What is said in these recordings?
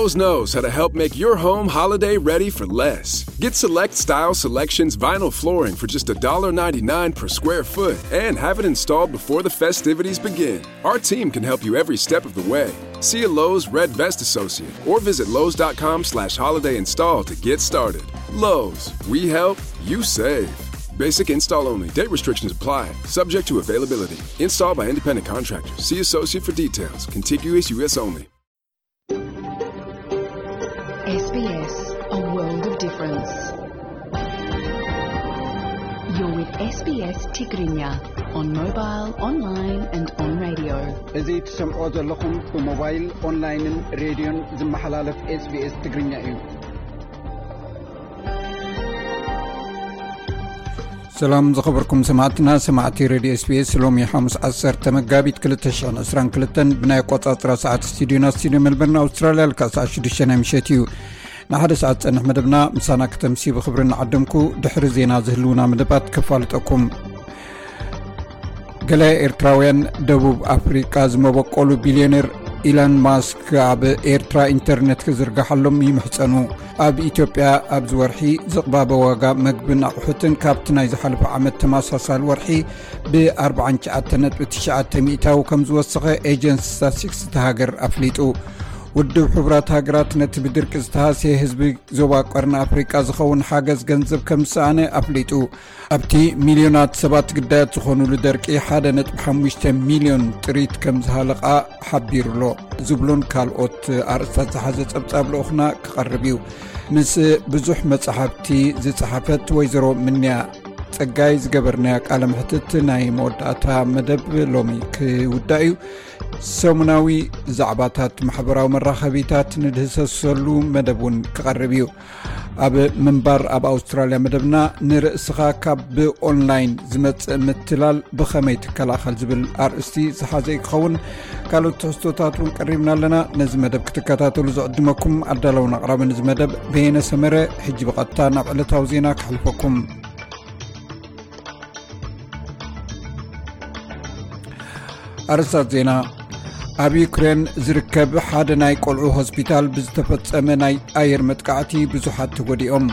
Lowe's knows how to help make your home holiday ready for less. Get select style selections vinyl flooring for just a dollar ninety-nine per square foot and have it installed before the festivities begin. Our team can help you every step of the way. See a Lowe's Red Vest associate or visit lowes.com slash holiday install to get started. Lowe's, we help, you save. Basic install only. Date restrictions apply. Subject to availability. Install by independent contractor. See associate for details. Contiguous U S only. S B S, a world of difference. You're with S B S Tigrinya on mobile, online and on radio. እዚ ትሰምዖ ዘለኹም ብሞባይል፣ ኦንላይንን ሬድዮን ዝመሓላለፍ ኤስቢኤስ ትግርኛ እዩ። ሰላም ዝኸበርኩም ሰማዕትና፣ ሰማዕቲ ሬድዮ ኤስቢኤስ። ሎሚ ሓሙስ ዓሰርተ መጋቢት ክልተ ሽሕን ዕስራን ክልተን ብናይ ኣቆጻጽራ ሰዓት ስቱዲዮና፣ ስቱዲዮ ሜልበርን ኣውስትራልያ፣ ልክዕ ሰዓት ሽዱሽተ ናይ ምሸት እዩ። ንሓደ ሰዓት ጸንሕ መደብና ምሳና ከተምሲ ብኽብሪ እናዓደምኩ፣ ድሕሪ ዜና ዝህልውና መደባት ከፋልጠኩም። ገለ ኤርትራውያን ደቡብ ኣፍሪቃ ዝመበቆሉ ቢልዮነር ኢላን ማስክ ኣብ ኤርትራ ኢንተርኔት ክዝርግሓሎም ይምሕጸኑ። ኣብ ኢትዮጵያ ኣብዚ ወርሒ ዝቕባበ ዋጋ መግብን ኣቑሑትን ካብቲ ናይ ዝሓለፈ ዓመት ተመሳሳሊ ወርሒ ብ ኣርባዓን ትሽዓተን ነጥቢ ትሽዓተ ሚእታዊ ከም ዝወሰኸ ኤጀንሲ ስታትስቲክስ እታ ሃገር ኣፍሊጡ። ውድብ ሕቡራት ሃገራት ነቲ ብድርቂ ዝተሃስየ ህዝቢ ዞባ ቀርኒ ኣፍሪቃ ዝኸውን ሓገዝ ገንዘብ ከም ዝሰኣነ ኣፍሊጡ። ኣብቲ ሚልዮናት ሰባት ግዳያት ዝኾኑሉ ደርቂ ሓደ ነጥቢ ሓሙሽተ ሚልዮን ጥሪት ከም ዝሃለቓ ሓቢሩሎ ዝብሉን ካልኦት ኣርእስታት ዝሓዘ ጸብጻብ ልኡኽና ክቐርብ እዩ። ምስ ብዙሕ መጻሕፍቲ ዝጸሓፈት ወይዘሮ ምንያ ጸጋይ ዝገበርናዮ ቃለ መሕትት ናይ መወዳእታ መደብ ሎሚ ክውዳእ እዩ። ሰሙናዊ ዛዕባታት ማሕበራዊ መራኸቢታት ንድህሰሰሉ መደብ እውን ክቐርብ እዩ። ኣብ ምንባር ኣብ ኣውስትራልያ መደብና ንርእስኻ ካብ ብኦንላይን ዝመጽእ ምትላል ብኸመይ ትከላኸል ዝብል ኣርእስቲ ዝሓዘ እዩ ክኸውን። ካልኦት ትሕዝቶታት እውን ቀሪብና ኣለና። ነዚ መደብ ክትከታተሉ ዝዕድመኩም ኣዳለውን ኣቕራብን እዚ መደብ በየነ ሰመረ። ሕጂ ብቐጥታ ናብ ዕለታዊ ዜና ከሕልፈኩም። ኣርእስታት ዜና። ኣብ ዩክሬን ዝርከብ ሓደ ናይ ቆልዑ ሆስፒታል ብዝተፈጸመ ናይ ኣየር መጥቃዕቲ ብዙሓት ተጎዲኦም።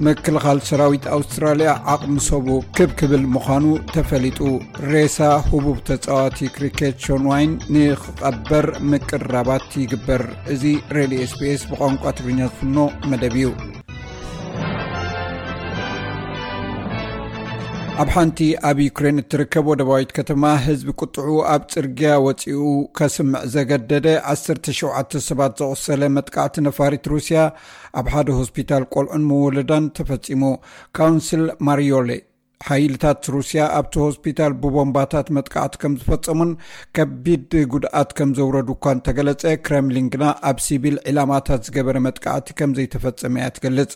ምክልኻል ሰራዊት ኣውስትራልያ ዓቕሚ ሰቡ ክብ ክብል ምዃኑ ተፈሊጡ። ሬሳ ህቡብ ተጻዋቲ ክሪኬት ሾን ዋይን ንኽቐበር ምቅርራባት ይግበር። እዚ ሬድዮ ኤስቢኤስ ብቋንቋ ትግርኛ ዝፍኖ መደብ እዩ። ኣብ ሓንቲ ኣብ ዩክሬን እትርከብ ወደባዊት ከተማ ህዝቢ ቁጥዑ ኣብ ጽርግያ ወጺኡ ከስምዕ ዘገደደ ዓሰርተ ሸውዓተ ሰባት ዘቑሰለ መጥቃዕቲ ነፋሪት ሩስያ ኣብ ሓደ ሆስፒታል ቆልዑን መወለዳን ተፈጺሙ። ካውንስል ማሪዮሌ ሓይልታት ሩስያ ኣብቲ ሆስፒታል ብቦምባታት መጥቃዕቲ ከም ዝፈጸሙን ከቢድ ጉድኣት ከም ዘውረዱ እኳ እንተገለጸ፣ ክረምሊን ግና ኣብ ሲቪል ዒላማታት ዝገበረ መጥቃዕቲ ከም ዘይተፈጸመ እያ ትገልጽ።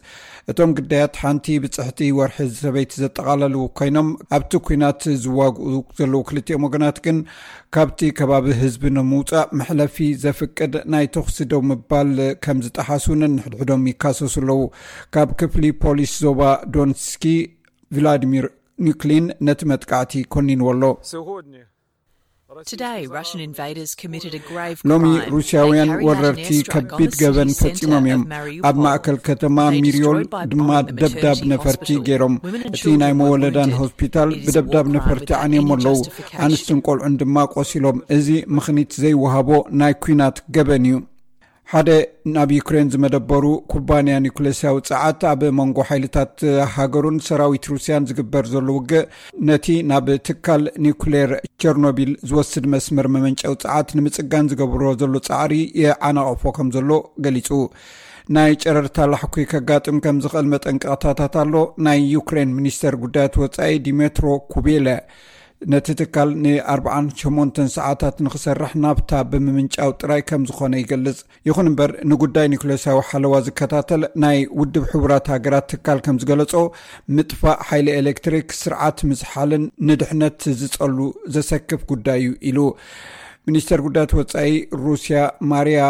እቶም ግዳያት ሓንቲ ብጽሕቲ ወርሒ ሰበይቲ ዘጠቓለሉ ኮይኖም፣ ኣብቲ ኲናት ዝዋግኡ ዘለዉ ክልቲኦም ወገናት ግን ካብቲ ከባቢ ህዝቢ ንምውጻእ መሕለፊ ዘፍቅድ ናይ ተኹሲ ደው ምባል ከም ዝጠሓሱ ነንሕድሕዶም ይካሰሱ ኣለዉ። ካብ ክፍሊ ፖሊስ ዞባ ዶንስኪ ቭላዲሚር ኒክሊን ነቲ መጥቃዕቲ ኮኒንዎ ኣሎ። ሎሚ ሩስያውያን ወረርቲ ከቢድ ገበን ፈጺሞም እዮም። ኣብ ማእከል ከተማ ሚሪዮል ድማ ደብዳብ ነፈርቲ ገይሮም። እቲ ናይ መወለዳን ሆስፒታል ብደብዳብ ነፈርቲ ዓንዮም ኣለዉ። ኣንስትን ቆልዑን ድማ ቆሲሎም። እዚ ምኽኒት ዘይወሃቦ ናይ ኲናት ገበን እዩ። ሓደ ናብ ዩክሬን ዝመደበሩ ኩባንያ ኒኩሌስያዊ ጸዓት ኣብ መንጎ ሓይልታት ሃገሩን ሰራዊት ሩስያን ዝግበር ዘሎ ውግእ ነቲ ናብ ትካል ኒኩሌር ቸርኖቢል ዝወስድ መስመር መመንጨዊ ጸዓት ንምጽጋን ዝገብሮ ዘሎ ጻዕሪ የዓናቕፎ ከም ዘሎ ገሊጹ። ናይ ጨረርታ ላሕኩ ከጋጥም ከም ዝኽእል መጠንቀቕታታት ኣሎ። ናይ ዩክሬን ሚኒስተር ጉዳያት ወጻኢ ዲሜትሮ ኩቤለ ነቲ ትካል ን ኣርብዓን ሸሞንተን ሰዓታት ንኽሰርሕ ናብታ ብምምንጫው ጥራይ ከም ዝኾነ ይገልጽ። ይኹን እምበር ንጉዳይ ኒኩሌሳዊ ሓለዋ ዝከታተል ናይ ውድብ ሕቡራት ሃገራት ትካል ከም ዝገለጾ፣ ምጥፋእ ሓይሊ ኤሌክትሪክ ስርዓት ምዝሓልን ንድሕነት ዝጸሉ ዘሰክፍ ጉዳይ እዩ ኢሉ። ሚኒስተር ጉዳያት ወጻኢ ሩስያ ማሪያ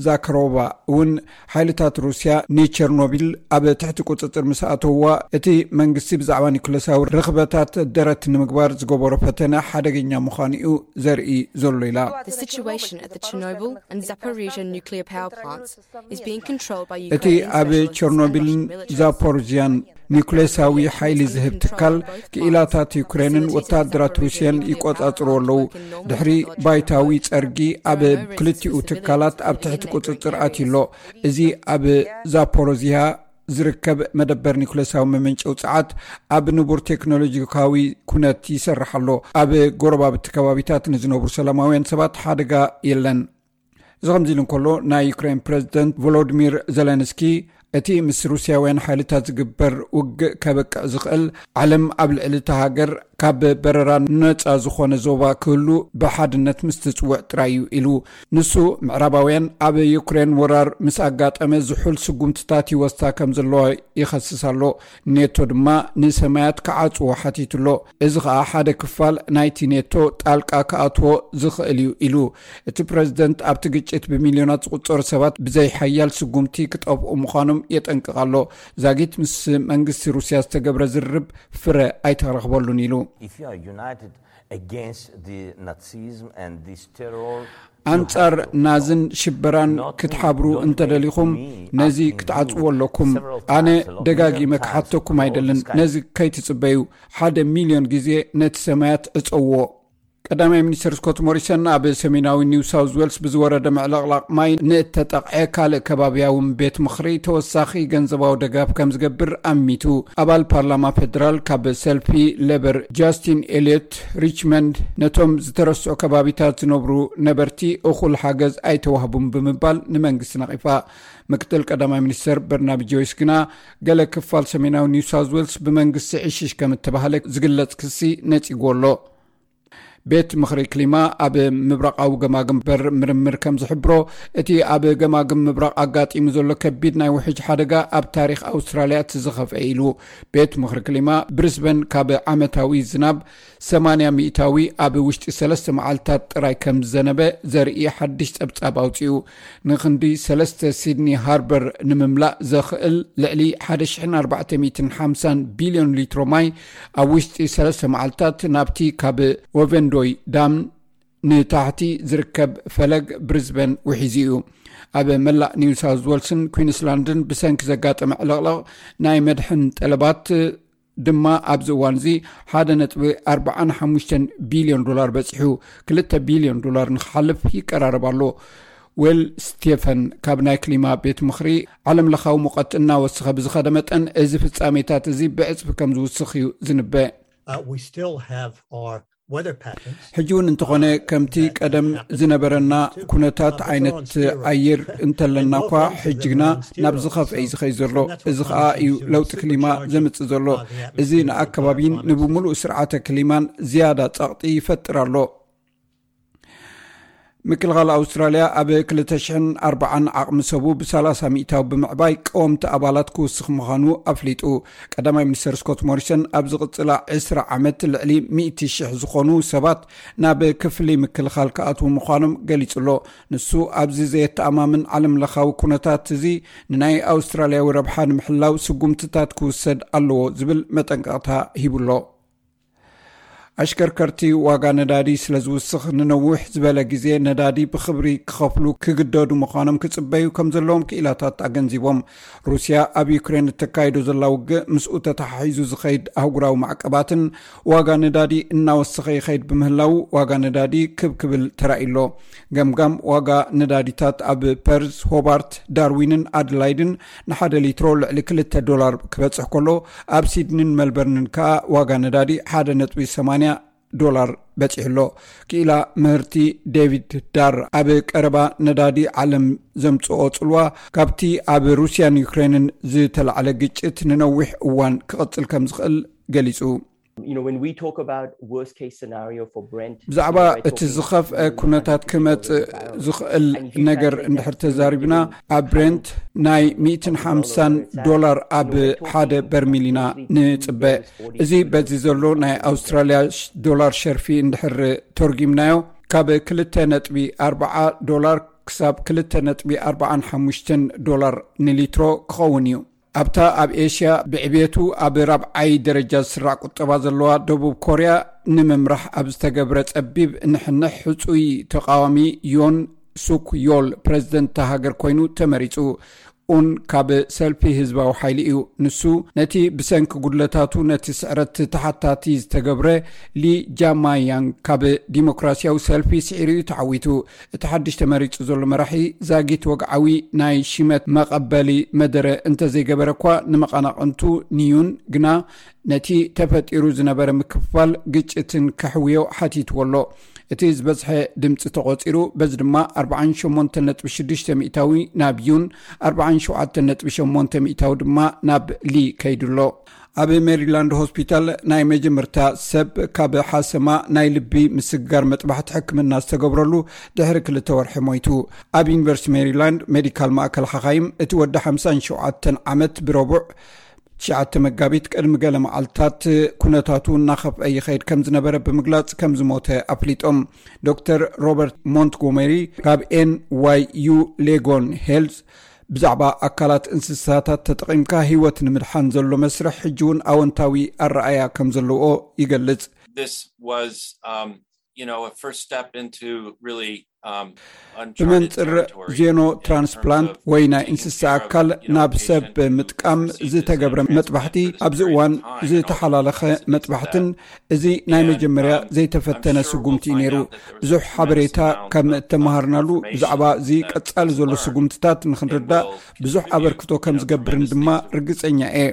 ዛካሮቫ እውን፣ ሓይልታት ሩስያ ንቸርኖቢል ኣብ ትሕቲ ቁጽጽር ምስ ኣተውዋ፣ እቲ መንግስቲ ብዛዕባ ኒኩለሳዊ ርኽበታት ደረት ንምግባር ዝገበሮ ፈተነ ሓደገኛ ምዃኑ እዩ ዘርኢ ዘሎ ኢላ። The situation at the Chernobyl and Zaporizhia nuclear power plants is being controlled by እቲ Ukrainian ኣብ specialists and ቸርኖቢልን Russian militaries. ዛፖሮዚያን ኒኩሌሳዊ ሓይሊ ዝህብ ትካል፣ ክኢላታት ዩክሬንን ወታደራት ሩስያን ይቆጻጽሩ ኣለዉ። ድሕሪ ባይታዊ ጸርጊ፣ ኣብ ክልቲኡ ትካላት ኣብ ትሕቲ ቁጽጽር ኣትዩ ኣሎ። እዚ ኣብ ዛፖሮዚያ ዝርከብ መደበር ኒኩሌሳዊ መመንጨዊ ጸዓት ኣብ ንቡር ቴክኖሎጂካዊ ኩነት ይሰርሕ ኣሎ። ኣብ ጎረባብቲ ከባቢታት ንዝነብሩ ሰላማውያን ሰባት ሓደጋ የለን። እዚ ከምዚ ኢሉ እንከሎ፣ ናይ ዩክሬን ፕሬዚደንት ቮሎዲሚር ዘለንስኪ፣ እቲ ምስ ሩስያውያን ሓይልታት ዝግበር ውግእ ከበቅዕ ዝኽእል፣ ዓለም ኣብ ልዕሊ እታ ሃገር ካብ በረራ ነጻ ዝኾነ ዞባ ክህሉ ብሓድነት ምስ ትጽውዕ ጥራይ እዩ ኢሉ። ንሱ፣ ምዕራባውያን ኣብ ዩክሬን ወራር ምስ ኣጋጠመ ዝሑል ስጉምትታት ይወስዳ ከም ዘለዋ ይኸስስ ኣሎ። ኔቶ ድማ ንሰማያት ክዓጽዎ ሓቲቱ ኣሎ። እዚ ኸኣ ሓደ ክፋል ናይቲ ኔቶ ጣልቃ ክኣትዎ ዝኽእል እዩ ኢሉ። እቲ ፕሬዚደንት፣ ኣብቲ ግጭት ብሚልዮናት ዝቑጸሩ ሰባት ብዘይ ሓያል ስጉምቲ ክጠፍኡ ምዃኖም የጠንቅቕ ኣሎ። ዛጊት ምስ መንግስቲ ሩስያ ዝተገብረ ዝርርብ ፍረ ኣይተረኽበሉን ኢሉ። If you are united against the Nazism and this terror, ኣንጻር ናዝን ሽበራን ክትሓብሩ እንተደሊኹም፣ ነዚ ክትዓጽዎ ኣለኩም። ኣነ ደጋጊመ ክሓተኩም ኣይደልን። ነዚ ከይትጽበዩ፣ ሓደ ሚልዮን ግዜ ነቲ ሰማያት ዕጸዎ። ቀዳማይ ሚኒስትር ስኮት ሞሪሰን፣ ኣብ ሰሜናዊ ኒው ሳውዝ ዌልስ ብዝወረደ ምዕልቕላቕ ማይ ንእተጠቕዐ ካልእ ከባቢያዊ ቤት ምኽሪ ተወሳኺ ገንዘባዊ ደጋፍ ከም ዝገብር ኣሚቱ። ኣባል ፓርላማ ፌደራል ካብ ሰልፊ ሌበር ጃስቲን ኤልዮት ሪችመንድ፣ ነቶም ዝተረስዑ ከባቢታት ዝነብሩ ነበርቲ እኹል ሓገዝ ኣይተዋህቡን ብምባል ንመንግስቲ ነቒፋ። ምክትል ቀዳማይ ሚኒስትር በርናቢ ጆይስ ግና፣ ገለ ክፋል ሰሜናዊ ኒው ሳውዝ ዌልስ ብመንግስቲ ዕሽሽ ከም እተባህለ ዝግለጽ ክሲ ነጺግዎ ኣሎ። ቤት ምኽሪ ክሊማ ኣብ ምብራቓዊ ገማግም በር ምርምር ከም ዝሕብሮ፣ እቲ ኣብ ገማግም ምብራቕ ኣጋጢሙ ዘሎ ከቢድ ናይ ውሕጅ ሓደጋ ኣብ ታሪኽ ኣውስትራልያ እቲ ዝኸፍአ ኢሉ። ቤት ምኽሪ ክሊማ ብሪስበን፣ ካብ ዓመታዊ ዝናብ ሰማንያ ሚእታዊ ኣብ ውሽጢ ሰለስተ መዓልታት ጥራይ ከም ዝዘነበ ዘርኢ ሓድሽ ጸብጻብ ኣውጺኡ። ንክንዲ ሰለስተ ሲድኒ ሃርበር ንምምላእ ዘኽእል ልዕሊ ሓደ ሽሕን ኣርባዕተ ሚእትን ሓምሳን ቢልዮን ሊትሮ ማይ ኣብ ውሽጢ ሰለስተ መዓልታት ናብቲ ካብ ወቨንዶይ ዳም ንታሕቲ ዝርከብ ፈለግ ብሪዝበን ውሒዙ እዩ። ኣብ መላእ ኒው ሳውዝ ዌልስን ኩዊንስላንድን ብሰንኪ ዘጋጠመ ዕልቕልቕ ናይ መድሕን ጠለባት ድማ ኣብዚ እዋን እዚ ሓደ ነጥቢ ኣርባዓን ሓሙሽተን ቢልዮን ዶላር በጺሑ፣ ክልተ ቢልዮን ዶላር ንክሓልፍ ይቀራረብ ኣሎ። ዌል ስቴፈን ካብ ናይ ክሊማ ቤት ምኽሪ፣ ዓለም ለኻዊ ሙቐት እናወሰኸ ብዝኸደ መጠን፣ እዚ ፍጻሜታት እዚ ብዕጽፊ ከም ዝውስኽ እዩ ዝንበ። Uh, we still have our weather patterns. ሕጂ እውን እንተኾነ፣ ከምቲ ቀደም ዝነበረና ኩነታት ዓይነት ኣየር እንተለና እኳ፣ ሕጂ ግና ናብ ዝኸፍአ እዩ ዝኸይ ዘሎ። እዚ ኸኣ እዩ ለውጢ ክሊማ ዘምጽእ ዘሎ። እዚ ንኣከባቢን ንብምሉእ ስርዓተ ክሊማን ዝያዳ ጸቕጢ ይፈጥር ኣሎ። ምክልኻል ኣውስትራልያ ኣብ ክልተ ሽሕን ኣርባዓን ዓቕሚ ሰቡ ብሰላሳ ሚእታዊ ብምዕባይ ቀወምቲ ኣባላት ክውስኽ ምዃኑ ኣፍሊጡ። ቀዳማይ ሚኒስተር ስኮት ሞሪሰን፣ ኣብ ዝቕጽላ ዕስራ ዓመት ልዕሊ ሚእቲ ሽሕ ዝኾኑ ሰባት ናብ ክፍሊ ምክልኻል ክኣትዉ ምዃኖም ገሊጹ ኣሎ። ንሱ፣ ኣብዚ ዘየተኣማምን ዓለም ለኻዊ ኩነታት እዚ፣ ንናይ ኣውስትራልያዊ ረብሓ ንምሕላው ስጉምትታት ክውሰድ ኣለዎ ዝብል መጠንቀቕታ ሂቡ ኣሎ። ኣሽከርከርቲ ዋጋ ነዳዲ ስለ ዝውስኽ፣ ንነዊሕ ዝበለ ግዜ ነዳዲ ብኽብሪ ክኸፍሉ ክግደዱ ምዃኖም ክጽበዩ ከም ዘለዎም ክኢላታት ኣገንዚቦም። ሩስያ ኣብ ዩክሬን እተካይዶ ዘላ ውግእ፣ ምስኡ ተተሓሒዙ ዝኸይድ ኣህጉራዊ ማዕቀባትን ዋጋ ነዳዲ እናወሰኸ ይኸይድ ብምህላዉ፣ ዋጋ ነዳዲ ክብ ክብል ተራእዩ ኣሎ። ገምጋም ዋጋ ነዳዲታት ኣብ ፐርዝ፣ ሆባርት፣ ዳርዊንን ኣድላይድን ንሓደ ሊትሮ ልዕሊ ክልተ ዶላር ክበጽሕ ከሎ፣ ኣብ ሲድኒን መልበርንን ከኣ ዋጋ ነዳዲ ሓደ ነጥቢ ሰማንያ ዶላር በጺሑ ኣሎ። ክኢላ ምህርቲ ዴቪድ ዳር፣ ኣብ ቀረባ ነዳዲ ዓለም ዘምጽኦ ጽልዋ፣ ካብቲ ኣብ ሩስያን ዩክሬንን ዝተላዕለ ግጭት ንነዊሕ እዋን ክቕጽል ከም ዝኽእል ገሊጹ። You know, when we talk about worst case scenario for Brent, ብዛዕባ እቲ ዝኸፍአ ኩነታት ክመጽእ ዝኽእል ነገር እንድሕር ተዛሪብና፣ ኣብ ብሬንት ናይ ሚእትን ሓምሳን ዶላር ኣብ ሓደ በርሚል ኢና ንጽበ። እዚ በዚ ዘሎ ናይ ኣውስትራልያ ዶላር ሸርፊ እንድሕር ተርጒምናዮ፣ ካብ ክልተ ነጥቢ ኣርባዓ ዶላር ክሳብ ክልተ ነጥቢ ኣርባዓን ሓሙሽተን ዶላር ንሊትሮ ክኸውን እዩ። ኣብታ ኣብ ኤሽያ ብዕቤቱ ኣብ ራብዓይ ደረጃ ዝስራዕ ቁጠባ ዘለዋ ደቡብ ኮርያ፣ ንምምራሕ ኣብ ዝተገብረ ጸቢብ ንሕንሕ፣ ሕጹይ ተቓዋሚ ዮን ሱክ ዮል ፕረዚደንት እታ ሃገር ኮይኑ ተመሪጹ። ኡን ካብ ሰልፊ ህዝባዊ ሓይሊ እዩ። ንሱ ነቲ ብሰንኪ ጉድለታቱ ነቲ ስዕረት ተሓታቲ ዝተገብረ ሊ ጃማያንግ ካብ ዲሞክራሲያዊ ሰልፊ ስዒሩ እዩ ተዓዊቱ። እቲ ሓድሽ ተመሪጹ ዘሎ መራሒ ዛጊት ወግዓዊ ናይ ሽመት መቐበሊ መደረ እንተዘይገበረ እኳ፣ ንመቐናቕንቱ ንዩን ግና ነቲ ተፈጢሩ ዝነበረ ምክፍፋል ግጭትን ከሕውዮ ሓቲትዎ ኣሎ። እቲ ዝበዝሐ ድምፂ ተቖፂሩ፣ በዚ ድማ ኣርባዓን ሸሞንተን ነጥቢ ሽዱሽተ ሚእታዊ ናብ ዩን፣ ኣርባዓን ሸውዓተን ነጥቢ ሸሞንተ ሚእታዊ ድማ ናብ ሊ ከይዱ ኣሎ። ኣብ ሜሪላንድ ሆስፒታል ናይ መጀመርታ ሰብ ካብ ሓሰማ ናይ ልቢ ምስግጋር መጥባሕቲ ሕክምና ዝተገብረሉ ድሕሪ ክልተ ወርሒ ሞይቱ። ኣብ ዩኒቨርሲቲ ሜሪላንድ ሜዲካል ማእከል ሓኻይም፣ እቲ ወዲ ሓምሳን ሸውዓተን ዓመት ብረቡዕ ትሽዓተ መጋቢት ቅድሚ ገለ መዓልታት ኩነታቱ እናኸፍአ ይኸይድ ከም ዝነበረ ብምግላጽ ከም ዝሞተ ኣፍሊጦም። ዶክተር ሮበርት ሞንትጎመሪ ካብ ኤን ዋይ ዩ ሌጎን ሄልዝ ብዛዕባ ኣካላት እንስሳታት ተጠቒምካ ህይወት ንምድሓን ዘሎ መስርሕ ሕጂ እውን ኣወንታዊ ኣረኣያ ከም ዘለዎ ይገልጽ። This was, um, you know, a first step into really, um, uncharted ብመንጽር territory ዜኖ in terms ትራንስፕላንት of ወይ ናይ taking እንስሳ care of, ኣካል you know, ናብ ሰብ patient ምጥቃም receives ዝተገብረ his መጥባሕቲ፣ injuries ኣብዚ very እዋን high and ዝተሓላለኸ also means መጥባሕትን that እዚ ናይ And, መጀመርያ um, ዘይተፈተነ I'm sure ስጉምቲ we'll እዩ ነይሩ። Find out that there was ብዙሕ a ሓበሬታ tremendous ከም amount of እተመሃርናሉ information ብዛዕባ እዚ that ቀጻሊ ዘሎ we'll learn ስጉምትታት ንኽንርዳእ and will ብዙሕ continue ኣበርክቶ to ከም help ዝገብርን ድማ tremendously ርግጸኛ እየ።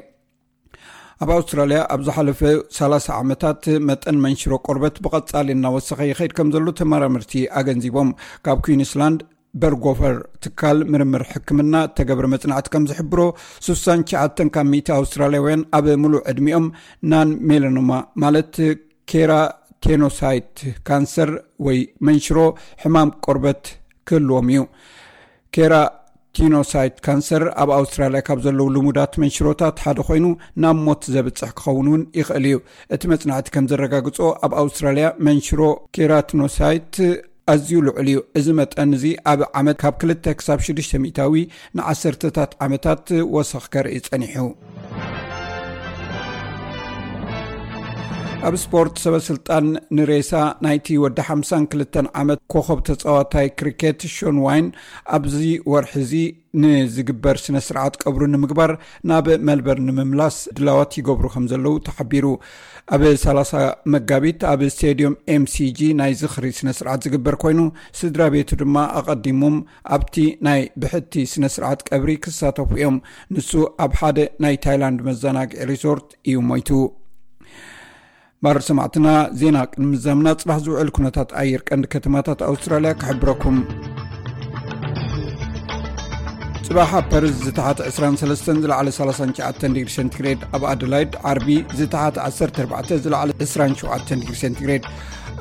ኣብ ኣውስትራልያ ኣብ ዝሓለፈ ሰላሳ ዓመታት መጠን መንሽሮ ቆርበት ብቐጻሊ እናወሰኸ ይኸይድ ከም ዘሎ ተመራመርቲ ኣገንዚቦም። ካብ ኩዊንስላንድ በርጎፈር ትካል ምርምር ሕክምና እተገብረ መጽናዕቲ ከም ዝሕብሮ፣ ስሳን ትሽዓተን ካብ ሚእቲ ኣውስትራልያውያን ኣብ ምሉእ ዕድሚኦም ናን ሜላኖማ ማለት ኬራቴኖሳይት ካንሰር ወይ መንሽሮ ሕማም ቆርበት ክህልዎም እዩ። ኬራቲኖሳይት ካንሰር ኣብ ኣውስትራልያ ካብ ዘለዉ ልሙዳት መንሽሮታት ሓደ ኮይኑ፣ ናብ ሞት ዘብጽሕ ክኸውን እውን ይኽእል እዩ። እቲ መጽናዕቲ ከም ዘረጋግጾ፣ ኣብ ኣውስትራልያ መንሽሮ ኬራቲኖሳይት ኣዝዩ ልዑል እዩ። እዚ መጠን እዚ ኣብ ዓመት ካብ ክልተ ክሳብ ሽዱሽተ ሚእታዊ ንዓሰርተታት ዓመታት ወሰኽ ከርኢ ጸኒሑ። ኣብ ስፖርት፣ ሰበ ስልጣን ንሬሳ ናይቲ ወዲ ሓምሳን ክልተን ዓመት ኮኸብ ተጻዋታይ ክሪኬት ሾን ዋይን ኣብዚ ወርሒ እዚ ንዝግበር ስነ ስርዓት ቀብሩ ንምግባር ናብ መልበርን ንምምላስ ድላዋት ይገብሩ ከም ዘለዉ ተሓቢሩ። ኣብ ሰላሳ መጋቢት ኣብ ስቴድዮም ኤምሲጂ ናይ ዝኽሪ ስነ ስርዓት ዝግበር ኮይኑ፣ ስድራ ቤቱ ድማ ኣቐዲሞም ኣብቲ ናይ ብሕቲ ስነ ስርዓት ቀብሪ ክሳተፉ እዮም። ንሱ ኣብ ሓደ ናይ ታይላንድ መዘናግዒ ሪዞርት እዩ ሞይቱ። ባር ሰማዕትና፣ ዜና ቅድሚ ምዛምና ጽባሕ ዝውዕል ኩነታት ኣየር ቀንዲ ከተማታት ኣውስትራልያ ክሕብረኩም። ጽባሕ ኣብ ፐርዝ ዝተሓተ ዕስራን ሰለስተን ዝለዓለ ሰላሳን ትሽዓተን ዲግሪ ሴንቲግሬድ፣ ኣብ ኣደላይድ ዓርቢ ዝተሓተ ዓሰርተ ኣርባዕተ ዝለዓለ ዕስራን ሸውዓተን ዲግሪ ሴንቲግሬድ፣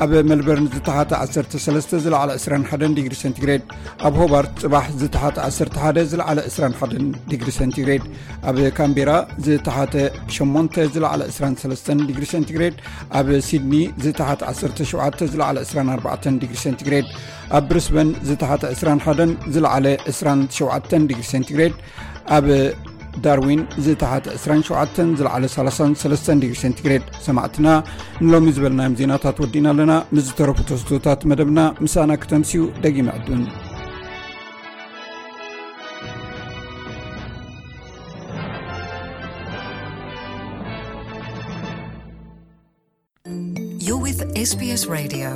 ኣብ ሜልበርን ዝተሓተ ዓሰርተ ሰለስተ ዝለዓለ ዕስራን ሓደን ዲግሪ ሴንቲግሬድ፣ ኣብ ሆባርት ጽባሕ ዝተሓተ ዓሰርተ ሓደ ዝለዓለ ዕስራን ሓደን ዲግሪ ሴንቲግሬድ፣ ኣብ ካምቤራ ዝተሓተ ሸሞንተ ዝለዓለ ዕስራን ሰለስተን ዲግሪ ሴንቲግሬድ፣ ኣብ ሲድኒ ዝተሓተ ዓሰርተ ሸውዓተ ዝለዓለ ዕስራን ኣርባዕተን ዲግሪ ሴንቲግሬድ፣ ኣብ ብሪስበን ዝተሓተ ዕስራን ሓደን ዝለዓለ ዕስራን ሸውዓተን ዲግሪ ሴንቲግሬድ፣ ኣብ ዳርዊን ዝተሓተ ዕስራን ሸውዓተን ዝለዓለ ሰላሳን ሰለስተን ዲግሪ ሴንቲግሬድ። ሰማዕትና፣ ንሎሚ ዝበልናዮም ዜናታት ወዲእና ኣለና። ምስ ዝተረፉ ተስቶታት መደብና ምሳና ክተምስዩ ደጊመ ዕዱን። You're with SBS Radio.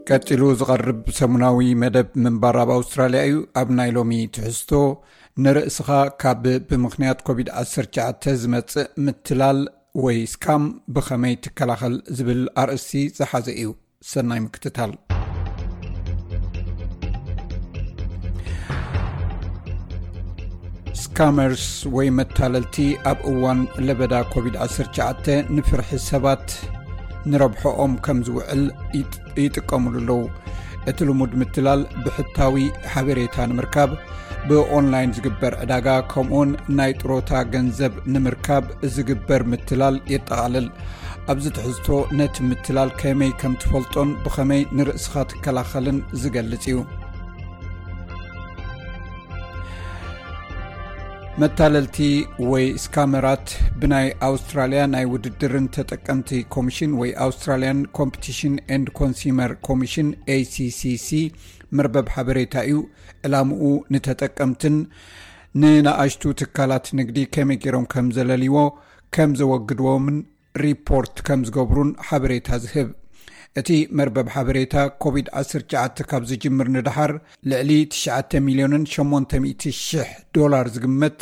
ቀጺሉ ዝቐርብ ሰሙናዊ መደብ ምንባር ኣብ ኣውስትራልያ እዩ። ኣብ ናይ ሎሚ ትሕዝቶ፣ ንርእስኻ ካብ ብምኽንያት ኮቪድ ዓሰርተ ትሽዓተ ዝመጽእ ምትላል ወይ ስካም ብኸመይ ትከላኸል ዝብል ኣርእስቲ ዝሓዘ እዩ። ሰናይ ምክትታል። ስካመርስ ወይ መታለልቲ ኣብ እዋን ለበዳ ኮቪድ ዓሰርተ ትሽዓተ ንፍርሒ ሰባት ንረብሖኦም ከም ዝውዕል ይጥ-፣ ይጥቀሙሉ ኣለዉ። እቲ ልሙድ ምትላል ብሕታዊ ሓበሬታ ንምርካብ፣ ብኦንላይን ዝግበር ዕዳጋ፣ ከምኡውን ናይ ጥሮታ ገንዘብ ንምርካብ ዝግበር ምትላል የጠቓልል። ኣብዚ ትሕዝቶ ነቲ ምትላል ከመይ ከም ትፈልጦን ብኸመይ ንርእስኻ ትከላኸልን ዝገልጽ እዩ። መታለልቲ ወይ ስካመራት ብናይ ኣውስትራልያ ናይ ውድድርን ተጠቀምቲ ኮሚሽን ወይ Australian Competition and Consumer Commission፣ ACCC፣ መርበብ ሓበሬታ እዩ። ዕላምኡ ንተጠቀምትን ንንኣሽቱ ትካላት ንግዲ ከመይ ገይሮም ከም ዘለልዎ፣ ከም ዘወግድዎምን ሪፖርት ከም ዝገብሩን ሓበሬታ ዝህብ። እቲ መርበብ ሓበሬታ ኮቪድ ዓሰርተ ትሽዓተ ካብ ዝጅምር ንደሓር ልዕሊ ትሽዓተ ሚልዮንን ሸሞንተ ሚእቲ ሽሕ ዶላር ዝግመት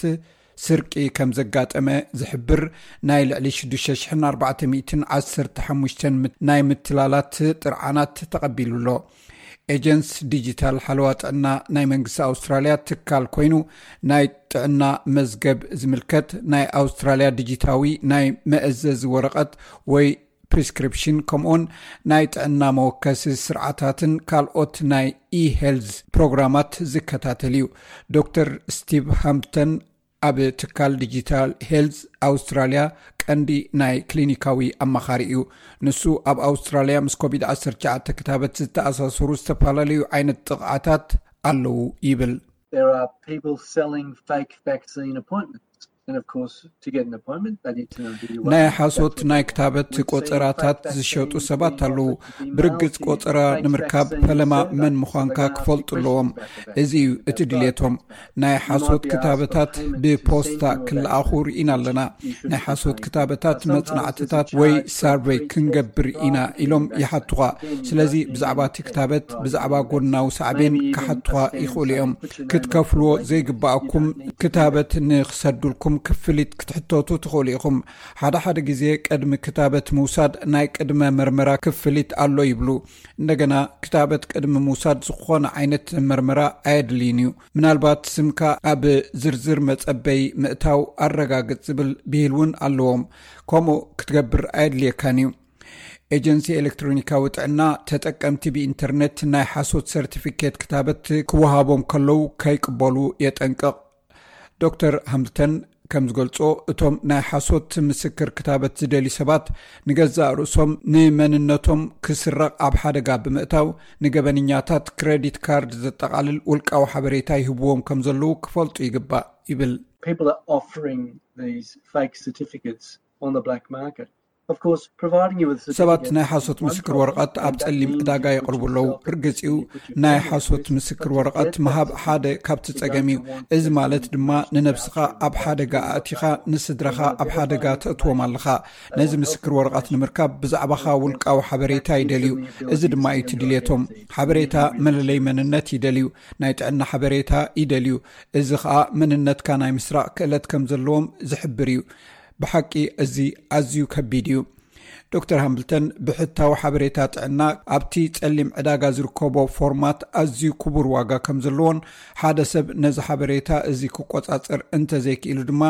ስርቂ ከም ዘጋጠመ ዝሕብር ናይ ልዕሊ ሽዱሽተ ሽሕን ኣርባዕተ ሚእትን ዓሰርተ ሓሙሽተን ናይ ምትላላት ጥርዓናት ተቐቢሉ ኣሎ። ኤጀንስ ዲጂታል ሓለዋ ጥዕና ናይ መንግስቲ ኣውስትራልያ ትካል ኮይኑ፣ ናይ ጥዕና መዝገብ ዝምልከት ናይ ኣውስትራልያ ዲጂታዊ ናይ መእዘዚ ወረቐት ወይ ፕሪስክሪፕሽን፣ ከምኡውን ናይ ጥዕና መወከሲ ስርዓታትን ካልኦት ናይ e-health ፕሮግራማት ዝከታተል እዩ። ዶክተር ስቲቭ ሃምፕተን ኣብ ትካል ዲጂታል ሄልዝ ኣውስትራልያ ቀንዲ ናይ ክሊኒካዊ ኣማኻሪ እዩ። ንሱ ኣብ ኣውስትራልያ ምስ ኮቪድ ዓሰርተ ትሽዓተ ክታበት ዝተኣሳሰሩ ዝተፈላለዩ ዓይነት ጥቕዓታት ኣለዉ ይብል። There are people selling fake vaccine appointments. And of course, to get an appointment, they need to know who you are. ናይ ሓሶት ናይ ክታበት ቆጸራታት ዝሸጡ ሰባት ኣለዉ። ብርግጽ ቆጸራ ንምርካብ ፈለማ መን ምዃንካ ክፈልጡ ኣለዎም። እዚ እዩ እቲ ድሌቶም። ናይ ሓሶት ክታበታት ብፖስታ ክለኣኹ ርኢና ኣለና። ናይ ሓሶት ክታበታት መጽናዕትታት ወይ ሳርቨይ ክንገብር ኢና ኢሎም ይሓቱኻ። ስለዚ ብዛዕባ እቲ ክታበት፣ ብዛዕባ ጎናዊ ሳዕቤን ክሓቱኻ ይኽእሉ እዮም። ክትከፍልዎ ዘይግባኣኩም ክታበት ንክሰዱልኩም ክፍሊት ክትሕተቱ ትኽእሉ ኢኹም። ሓደ ሓደ ግዜ ቅድሚ ክታበት ምውሳድ ናይ ቅድመ መርመራ ክፍሊት ኣሎ ይብሉ። እንደገና ክታበት ቅድሚ ምውሳድ ዝኾነ ዓይነት መርመራ ኣየድልይን እዩ። ምናልባት ስምካ ኣብ ዝርዝር መጸበይ ምእታው ኣረጋግጽ ዝብል ብሂል እውን ኣለዎም። ከምኡ ክትገብር ኣየድልየካን እዩ። ኤጀንሲ ኤሌክትሮኒካዊ ጥዕና ተጠቀምቲ ብኢንተርኔት ናይ ሓሶት ሰርቲፊኬት ክታበት ክወሃቦም ከለዉ ከይቅበሉ የጠንቅቕ። ዶክተር ሃምልተን ከም ዝገልጾ፣ እቶም ናይ ሓሶት ምስክር ክታበት ዝደልዩ ሰባት ንገዛእ ርእሶም ንመንነቶም ክስረቕ ኣብ ሓደጋ ብምእታው፣ ንገበንኛታት ክረዲት ካርድ ዘጠቓልል ውልቃዊ ሓበሬታ ይህብዎም ከም ዘለዉ ክፈልጡ ይግባእ ይብል። People are offering these fake certificates on the black market. Of course, providing you with ሰባት certificates ናይ ሓሶት is one ምስክር problem, ወረቐት ኣብ and that ጸሊም means ዕዳጋ you የቕርቡ put ኣለዉ። yourself in a ርግጽ እዩ፣ situation ናይ of ሓሶት risk, ምስክር but ወረቐት that ምሃብ doesn't ሓደ mean ካብቲ you ጸገም don't እዩ። want እዚ to ማለት ድማ use ንነብስኻ voucher ኣብ ሓደጋ voucher ኣእቲኻ፣ voucher ንስድራኻ voucher ኣብ ሓደጋ voucher ተእትዎም ኣለኻ። ነዚ ምስክር ወረቐት ንምርካብ ብዛዕባኻ ውልቃዊ ሓበሬታ ይደልዩ። እዚ ድማ እዩ እቲ ድሌቶም። ሓበሬታ መለለይ መንነት ይደልዩ። ናይ ጥዕና ሓበሬታ ይደልዩ። እዚ ኸኣ መንነትካ ናይ ምስራቕ ክእለት ከም ዘለዎም ዝሕብር እዩ። ብሓቂ እዚ ኣዝዩ ከቢድ እዩ። ዶክተር ሃምብልተን ብሕታዊ ሓበሬታ ጥዕና ኣብቲ ጸሊም ዕዳጋ ዝርከቦ ፎርማት ኣዝዩ ክቡር ዋጋ ከም ዘለዎን ሓደ ሰብ ነዚ ሓበሬታ እዚ ክቆጻጸር እንተዘይክኢሉ ድማ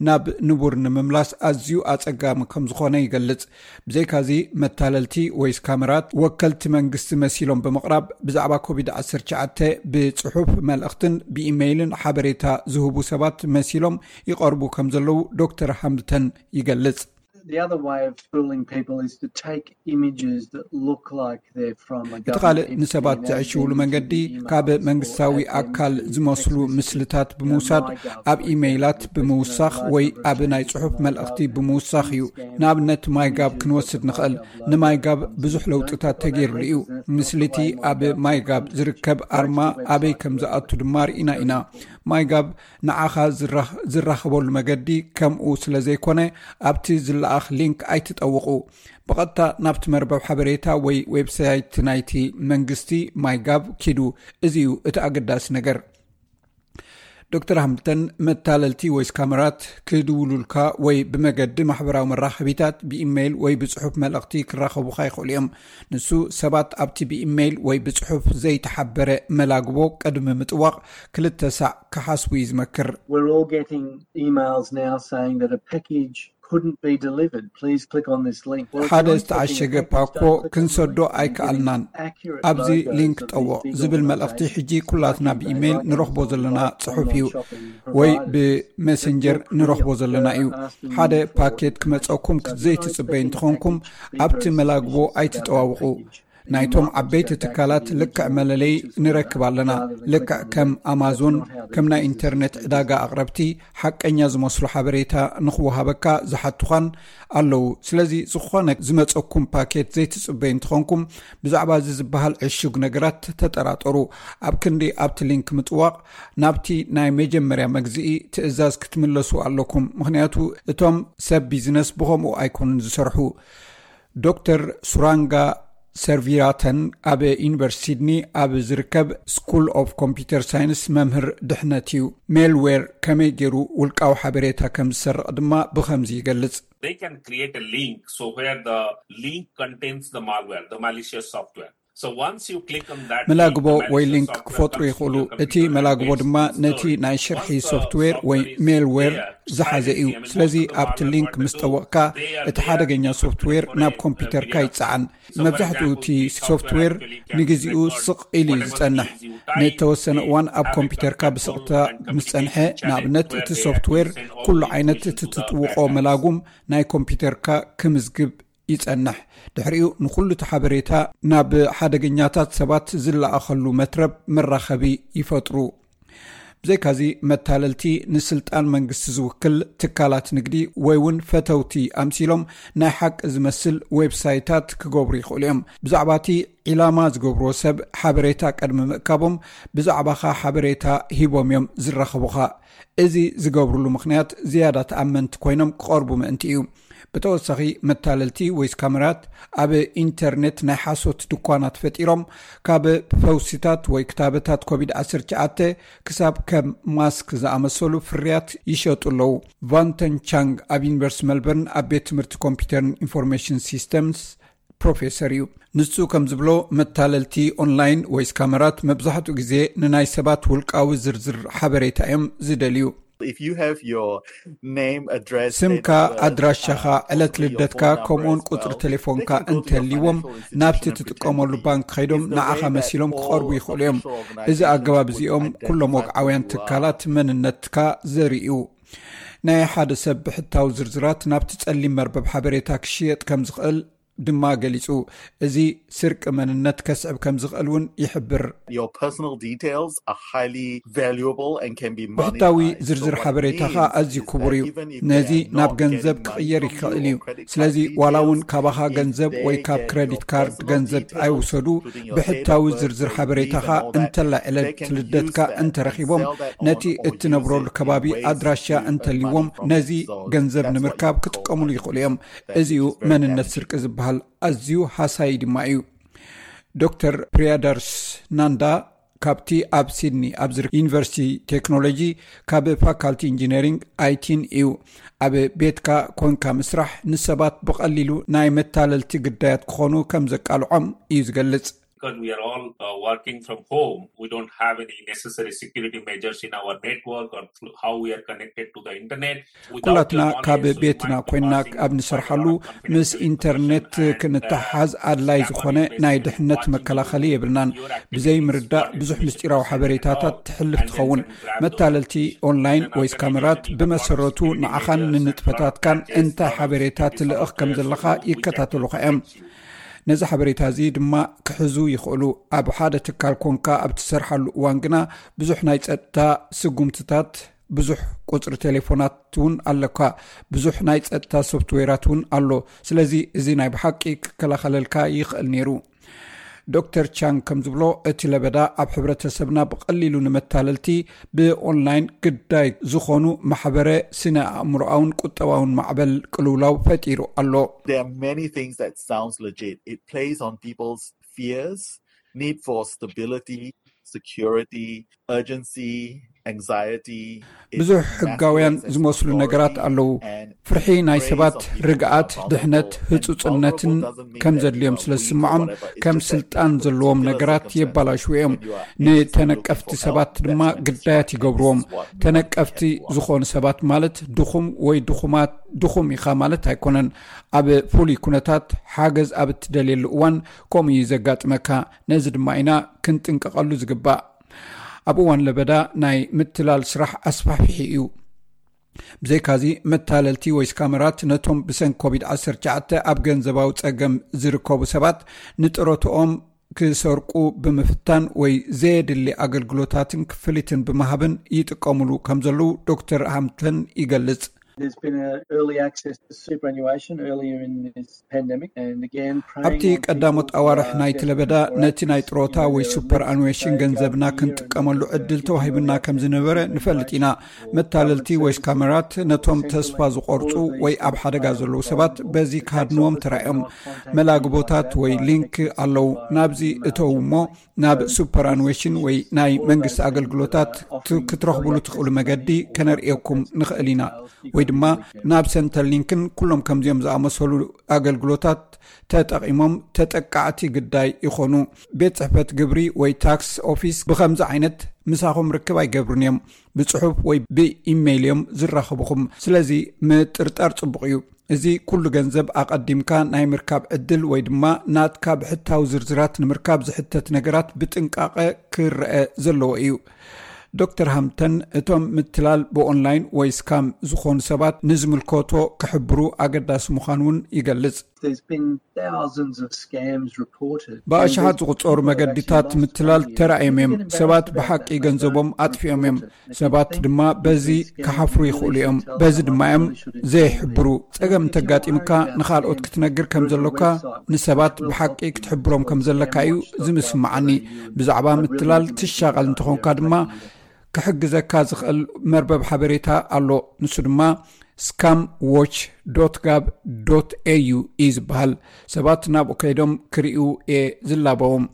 ናብ ንቡር ንምምላስ ኣዝዩ ኣጸጋሚ ከም ዝኾነ ይገልጽ። ብዘይካዚ መታለልቲ ወይ ስካመራት ወከልቲ መንግስቲ መሲሎም ብምቕራብ ብዛዕባ ኮቪድ ዓሰርተ ትሽዓተ ብጽሑፍ መልእኽትን ብኢሜይልን ሓበሬታ ዝህቡ ሰባት መሲሎም ይቐርቡ ከም ዘለዉ ዶክተር ሃምብልተን ይገልጽ። The other way of fooling people is to take images that look like they're from a እቲ ካልእ government ንሰባት entity and ዘዕሽውሉ then መንገዲ send them ካብ emails መንግስታዊ or add them ኣካል to ዝመስሉ text messages. ምስልታት ብምውሳድ ኣብ ኢሜይላት ብምውሳኽ ወይ ኣብ ናይ ጽሑፍ መልእኽቲ ብምውሳኽ እዩ። ንኣብነት ማይጋብ ክንወስድ ንኽእል። ንማይጋብ ብዙሕ ለውጥታት ተገይሩሉ እዩ። ምስልቲ ኣብ ማይጋብ ዝርከብ ኣርማ ኣበይ ከም ዝኣቱ ድማ ርኢና ኢና። ማይጋብ ንዓኻ ዝራኽ- ዝራኸበሉ መገዲ ከምኡ ስለ ዘይኮነ ኣብቲ ዝለኣኽ ሊንክ ኣይትጠውቑ። ብቐጥታ ናብቲ መርበብ ሓበሬታ ወይ ዌብሳይት ናይቲ መንግስቲ ማይጋብ ኪዱ። እዚ እዩ እቲ ኣገዳሲ ነገር። ዶክተር ሃምብልተን መታለልቲ ወይ ስካመራት ክድውሉልካ ወይ ብመገዲ ማሕበራዊ መራኸቢታት ብኢሜይል ወይ ብጽሑፍ መልእኽቲ ክራኸቡኻ ይኽእሉ እዮም። ንሱ ሰባት ኣብቲ ብኢሜይል ወይ ብጽሑፍ ዘይተሓበረ መላግቦ ቅድሚ ምጥዋቕ ክልተ ሳዕ ክሓስቡ እዩ ዝመክር። We're all getting emails now saying that a package couldn't be delivered. Please click on this link. Well, if ሓደ you're not ዝተዓሸገ expecting a package, ፓኮ don't click on the ክንሰዶ link. You're ኣይከኣልናን። getting accurate ኣብዚ logos ሊንክ of these ጠውቕ big ዝብል መልእኽቲ organizations ሕጂ ኩላትና like eBay, ብኢሜይል like ንረኽቦ Amazon, ዘለና like ጽሑፍ online እዩ shopping ወይ providers. ብሜሴንጀር ንረኽቦ ዘለና እዩ። ሓደ ፓኬት ክመጸኩም ዘይትጽበዩ እንትኾንኩም ኣብቲ መላግቦ ኣይትጠዋውቑ። ናይቶም ዓበይቲ ትካላት ልክዕ መለለይ ንረክብ ኣለና። ልክዕ ከም ኣማዞን፣ ከም ናይ ኢንተርኔት ዕዳጋ ኣቕረብቲ፣ ሓቀኛ ዝመስሉ ሓበሬታ ንኽወሃበካ ዝሓቱኻን ኣለዉ። ስለዚ ዝኾነ ዝመጸኩም ፓኬት ዘይትጽበዩ እንተኾንኩም፣ ብዛዕባ እዚ ዝበሃል ዕሹግ ነገራት ተጠራጠሩ። ኣብ ክንዲ ኣብቲ ሊንክ ምጥዋቕ፣ ናብቲ ናይ መጀመርያ መግዝኢ ትእዛዝ ክትምለሱ ኣለኩም፣ ምኽንያቱ እቶም ሰብ ቢዝነስ ብኸምኡ ኣይኮኑን ዝሰርሑ። ዶክተር ሱራንጋ ሰርቪራተን ኣብ ዩኒቨርሲቲ ሲድኒ ኣብ ዝርከብ ስኩል ኦፍ ኮምፒውተር ሳይንስ መምህር ድሕነት እዩ። ሜልዌር ከመይ ገይሩ ውልቃዊ ሓበሬታ ከም ዝሰርቕ ድማ ብኸምዚ ይገልጽ። They can create a link, so where the link contains the malware, the malicious software. So once you click on that መላግቦ ወይ ሊንክ ክፈጥሩ ይኽእሉ። እቲ መላግቦ ድማ ነቲ ናይ ሽርሒ ሶፍትዌር ወይ ሜልዌር ዝሓዘ እዩ። ስለዚ ኣብቲ ሊንክ ምስ ጠወቕካ፣ እቲ ሓደገኛ ሶፍትዌር ናብ ኮምፒውተርካ ይጸዓን። መብዛሕትኡ እቲ ሶፍትዌር ንግዜኡ ስቕ ኢሉ እዩ ዝጸንሕ። ንእተወሰነ እዋን ኣብ ኮምፒውተርካ ብስቕታ ምስ ጸንሐ፣ ንኣብነት እቲ ሶፍትዌር ኩሉ ዓይነት እቲ ትጥውቖ መላጉም ናይ ኮምፒውተርካ ክምዝግብ ይጸንሕ። ድሕሪኡ ንኹሉ እቲ ሓበሬታ ናብ ሓደገኛታት ሰባት ዝለኣኸሉ መትረብ መራኸቢ ይፈጥሩ። ብዘይካዚ መታለልቲ ንስልጣን መንግስቲ ዝውክል ትካላት ንግዲ ወይ እውን ፈተውቲ ኣምሲሎም ናይ ሓቂ ዝመስል ዌብሳይታት ክገብሩ ይኽእሉ እዮም። ብዛዕባ እቲ ዒላማ ዝገብርዎ ሰብ ሓበሬታ ቅድሚ ምእካቦም ብዛዕባኻ ሓበሬታ ሂቦም እዮም ዝራኸቡኻ። እዚ ዝገብሩሉ ምኽንያት ዝያዳ ተኣመንቲ ኮይኖም ክቐርቡ ምእንቲ እዩ። ብተወሳኺ መታለልቲ ወይ ስካመራት ኣብ ኢንተርኔት ናይ ሓሶት ድኳናት ፈጢሮም ካብ ፈውሲታት ወይ ክታበታት ኮቪድ ዓሰርተ ትሽዓተ ክሳብ ከም ማስክ ዝኣመሰሉ ፍርያት ይሸጡ ኣለዉ። ቫንተን ቻንግ ኣብ ዩኒቨርሲቲ መልበርን ኣብ ቤት ትምህርቲ ኮምፒውተርን ኢንፎርሜሽን ሲስተምስ ፕሮፌሰር እዩ። ንሱ ከም ዝብሎ መታለልቲ ኦንላይን ወይ ስካመራት መብዛሕትኡ ግዜ ንናይ ሰባት ውልቃዊ ዝርዝር ሓበሬታ እዮም ዝደልዩ። If you have your name, address, ስምካ፣ ኣድራሻኻ፣ ዕለት ልደትካ ከምኡውን ቁፅሪ ቴሌፎንካ እንተልይዎም ናብቲ ትጥቀመሉ ባንክ ከይዶም ንዓኻ መሲሎም ክቐርቡ ይኽእሉ እዮም። እዚ ኣገባብ እዚኦም ኩሎም ወግዓውያን ትካላት መንነትካ ዘርእዩ። ናይ ሓደ ሰብ ብሕታዊ ዝርዝራት ናብቲ ጸሊም መርበብ ሓበሬታ ክሽየጥ ከም ዝኽእል ድማ ገሊጹ። እዚ ስርቂ መንነት ከስዕብ ከም ዝኽእል እውን ይሕብር። Your personal details are highly valuable and can be ብሕታዊ ዝርዝር ሓበሬታኻ ኣዝዩ ክቡር እዩ። ነዚ ናብ ገንዘብ ክቕየር ይኽእል እዩ። ስለዚ ዋላ እውን ካባኻ ገንዘብ ወይ ካብ ክረዲት ካርድ ገንዘብ ኣይውሰዱ፣ ብሕታዊ ዝርዝር ሓበሬታኻ እንተላይ ዕለት ልደትካ እንተረኺቦም፣ ነቲ እትነብረሉ ከባቢ ኣድራሻ እንተልይዎም፣ ነዚ ገንዘብ ንምርካብ ክጥቀሙሉ ይኽእሉ እዮም። እዚኡ መንነት ስርቂ ዝበሃል ኣዝዩ ሃሳዪ ድማ እዩ። ዶክተር ፕሪያዳርስ ናንዳ ካብቲ ኣብ ሲድኒ ኣብ ዝርከብ ዩኒቨርሲቲ ቴክኖሎጂ ካብ ፋካልቲ ኢንጂነሪንግ ኣይቲን እዩ። ኣብ ቤትካ ኮንካ ምስራሕ ንሰባት ብቐሊሉ ናይ መታለልቲ ግዳያት ክኾኑ ከም ዘቃልዖም እዩ ዝገልጽ። Because we are all uh, working from home, we don't have any necessary security measures in our network or through how we are connected to the internet. ኩላትና ካብ ቤትና ኮይና ኣብ ንሰርሓሉ ምስ ኢንተርኔት ክንተሓሓዝ ኣድላይ ዝኾነ ናይ ድሕነት መከላኸሊ የብልናን። ብዘይ ምርዳእ ብዙሕ ምስጢራዊ ሓበሬታታት ትሕልፍ ትኸውን። መታለልቲ ኦንላይን ወይ ስካመራት ብመሰረቱ ንዓኻን ንንጥፈታትካን እንታይ ሓበሬታ ትልእኽ ከም ዘለኻ ይከታተሉኻ እዮም። ነዚ ሓበሬታ እዚ ድማ ክሕዙ ይኽእሉ። ኣብ ሓደ ትካል ኮንካ ኣብ ትሰርሓሉ እዋን ግና ብዙሕ ናይ ጸጥታ ስጉምትታት፣ ብዙሕ ቁጽሪ ቴሌፎናት እውን ኣለካ፣ ብዙሕ ናይ ጸጥታ ሶፍትዌራት እውን ኣሎ። ስለዚ እዚ ናይ ብሓቂ ክከላኸለልካ ይኽእል ነይሩ። ዶክተር ቻንግ ከም ዝብሎ፣ እቲ ለበዳ ኣብ ሕብረተሰብና ብቐሊሉ ንመታለልቲ ብኦንላይን ግዳይ ዝኾኑ ማሕበረ ስነ ኣእምሮኣውን ቁጠባውን ማዕበል ቅልውላው ፈጢሩ ኣሎ። There are many things that sounds legit. It plays on people's fears, need for stability, security, urgency, anxiety. ብዙሕ ሕጋውያን ዝመስሉ ነገራት ኣለዉ። ፍርሒ ናይ ሰባት ርግኣት፣ ድሕነት፣ ህጹጽነትን ከም ዘድልዮም ስለ ዝስምዖም ከም ስልጣን ዘለዎም ነገራት የባላሽዉ እዮም። ንተነቀፍቲ ሰባት ድማ ግዳያት ይገብርዎም። ተነቀፍቲ ዝኾኑ ሰባት ማለት ድኹም ወይ ድኹማት፣ ድኹም ኢኻ ማለት ኣይኮነን። ኣብ ፍሉይ ኩነታት ሓገዝ ኣብ እትደልየሉ እዋን ከምኡ እዩ ዘጋጥመካ። ነዚ ድማ ኢና ክንጥንቀቐሉ ዝግባእ። ኣብ እዋን ለበዳ ናይ ምትላል ስራሕ ኣስፋሕፊሒ እዩ። ብዘይካዚ፣ መታለልቲ ወይ ስካመራት ነቶም ብሰንኪ ኮቪድ ዓሰርተ ትሽዓተ ኣብ ገንዘባዊ ጸገም ዝርከቡ ሰባት ንጥሮትኦም ክሰርቁ ብምፍታን ወይ ዘየድሊ ኣገልግሎታትን ክፍሊትን ብምሃብን ይጥቀሙሉ ከም ዘለዉ ዶክተር ሃምተን ይገልጽ። ኣብቲ ቀዳሞት ኣዋርሕ ናይቲ ለበዳ ነቲ ናይ ጥሮታ ወይ ሱፐር ኣኑዌሽን ገንዘብና ክንጥቀመሉ ዕድል ተዋሂቡና ከም ዝነበረ ንፈልጥ ኢና። መታለልቲ ወይ ስካመራት ነቶም ተስፋ ዝቆርጹ ወይ ኣብ ሓደጋ ዘለዉ ሰባት በዚ ክሃድንዎም ተራእዮም። መላግቦታት ወይ ሊንክ ኣለዉ። ናብዚ እተው እሞ ናብ ሱፐር ኣኑዌሽን ወይ ናይ መንግስቲ ኣገልግሎታት ክትረኽቡሉ ትኽእሉ መገዲ ከነርእየኩም ንኽእል ኢና፣ ወይ ድማ ናብ ሰንተር ሊንክን ኩሎም ከምዚኦም ዝኣመሰሉ ኣገልግሎታት ተጠቒሞም ተጠቃዕቲ ግዳይ ይኾኑ። ቤት ጽሕፈት ግብሪ ወይ ታክስ ኦፊስ ብኸምዚ ዓይነት ምሳኹም ርክብ ኣይገብሩን እዮም። ብጽሑፍ ወይ ብኢሜይል እዮም ዝራኸቡኹም። ስለዚ ምጥርጣር ጽቡቕ እዩ። እዚ ኩሉ ገንዘብ ኣቐዲምካ ናይ ምርካብ ዕድል ወይ ድማ ናትካ ብሕታዊ ዝርዝራት ንምርካብ ዝሕተት ነገራት ብጥንቃቐ ክረአ ዘለዎ እዩ። ዶክተር ሃምተን እቶም ምትላል ብኦንላይን ወይ ስካም ዝኾኑ ሰባት ንዝምልከቶ ክሕብሩ ኣገዳሲ ምዃኑ እውን ይገልጽ። ብኣሽሓት ዝቑጸሩ መገዲታት ምትላል ተራእዮም እዮም። ሰባት ብሓቂ ገንዘቦም ኣጥፊኦም እዮም። ሰባት ድማ በዚ ክሓፍሩ ይኽእሉ እዮም። በዚ ድማ እዮም ዘይሕብሩ። ጸገም እንተጋጢምካ ንኻልኦት ክትነግር ከም ዘሎካ፣ ንሰባት ብሓቂ ክትሕብሮም ከም ዘለካ እዩ ዝምስምዓኒ። ብዛዕባ ምትላል ትሻቐል እንተኾንካ ድማ ክሕግዘካ ዝኽእል መርበብ ሓበሬታ ኣሎ። ንሱ ድማ scam watch dot gov dot A U እዩ ዝበሃል። ሰባት ናብኡ ከይዶም ክርእዩ እየ ዝላበዎም።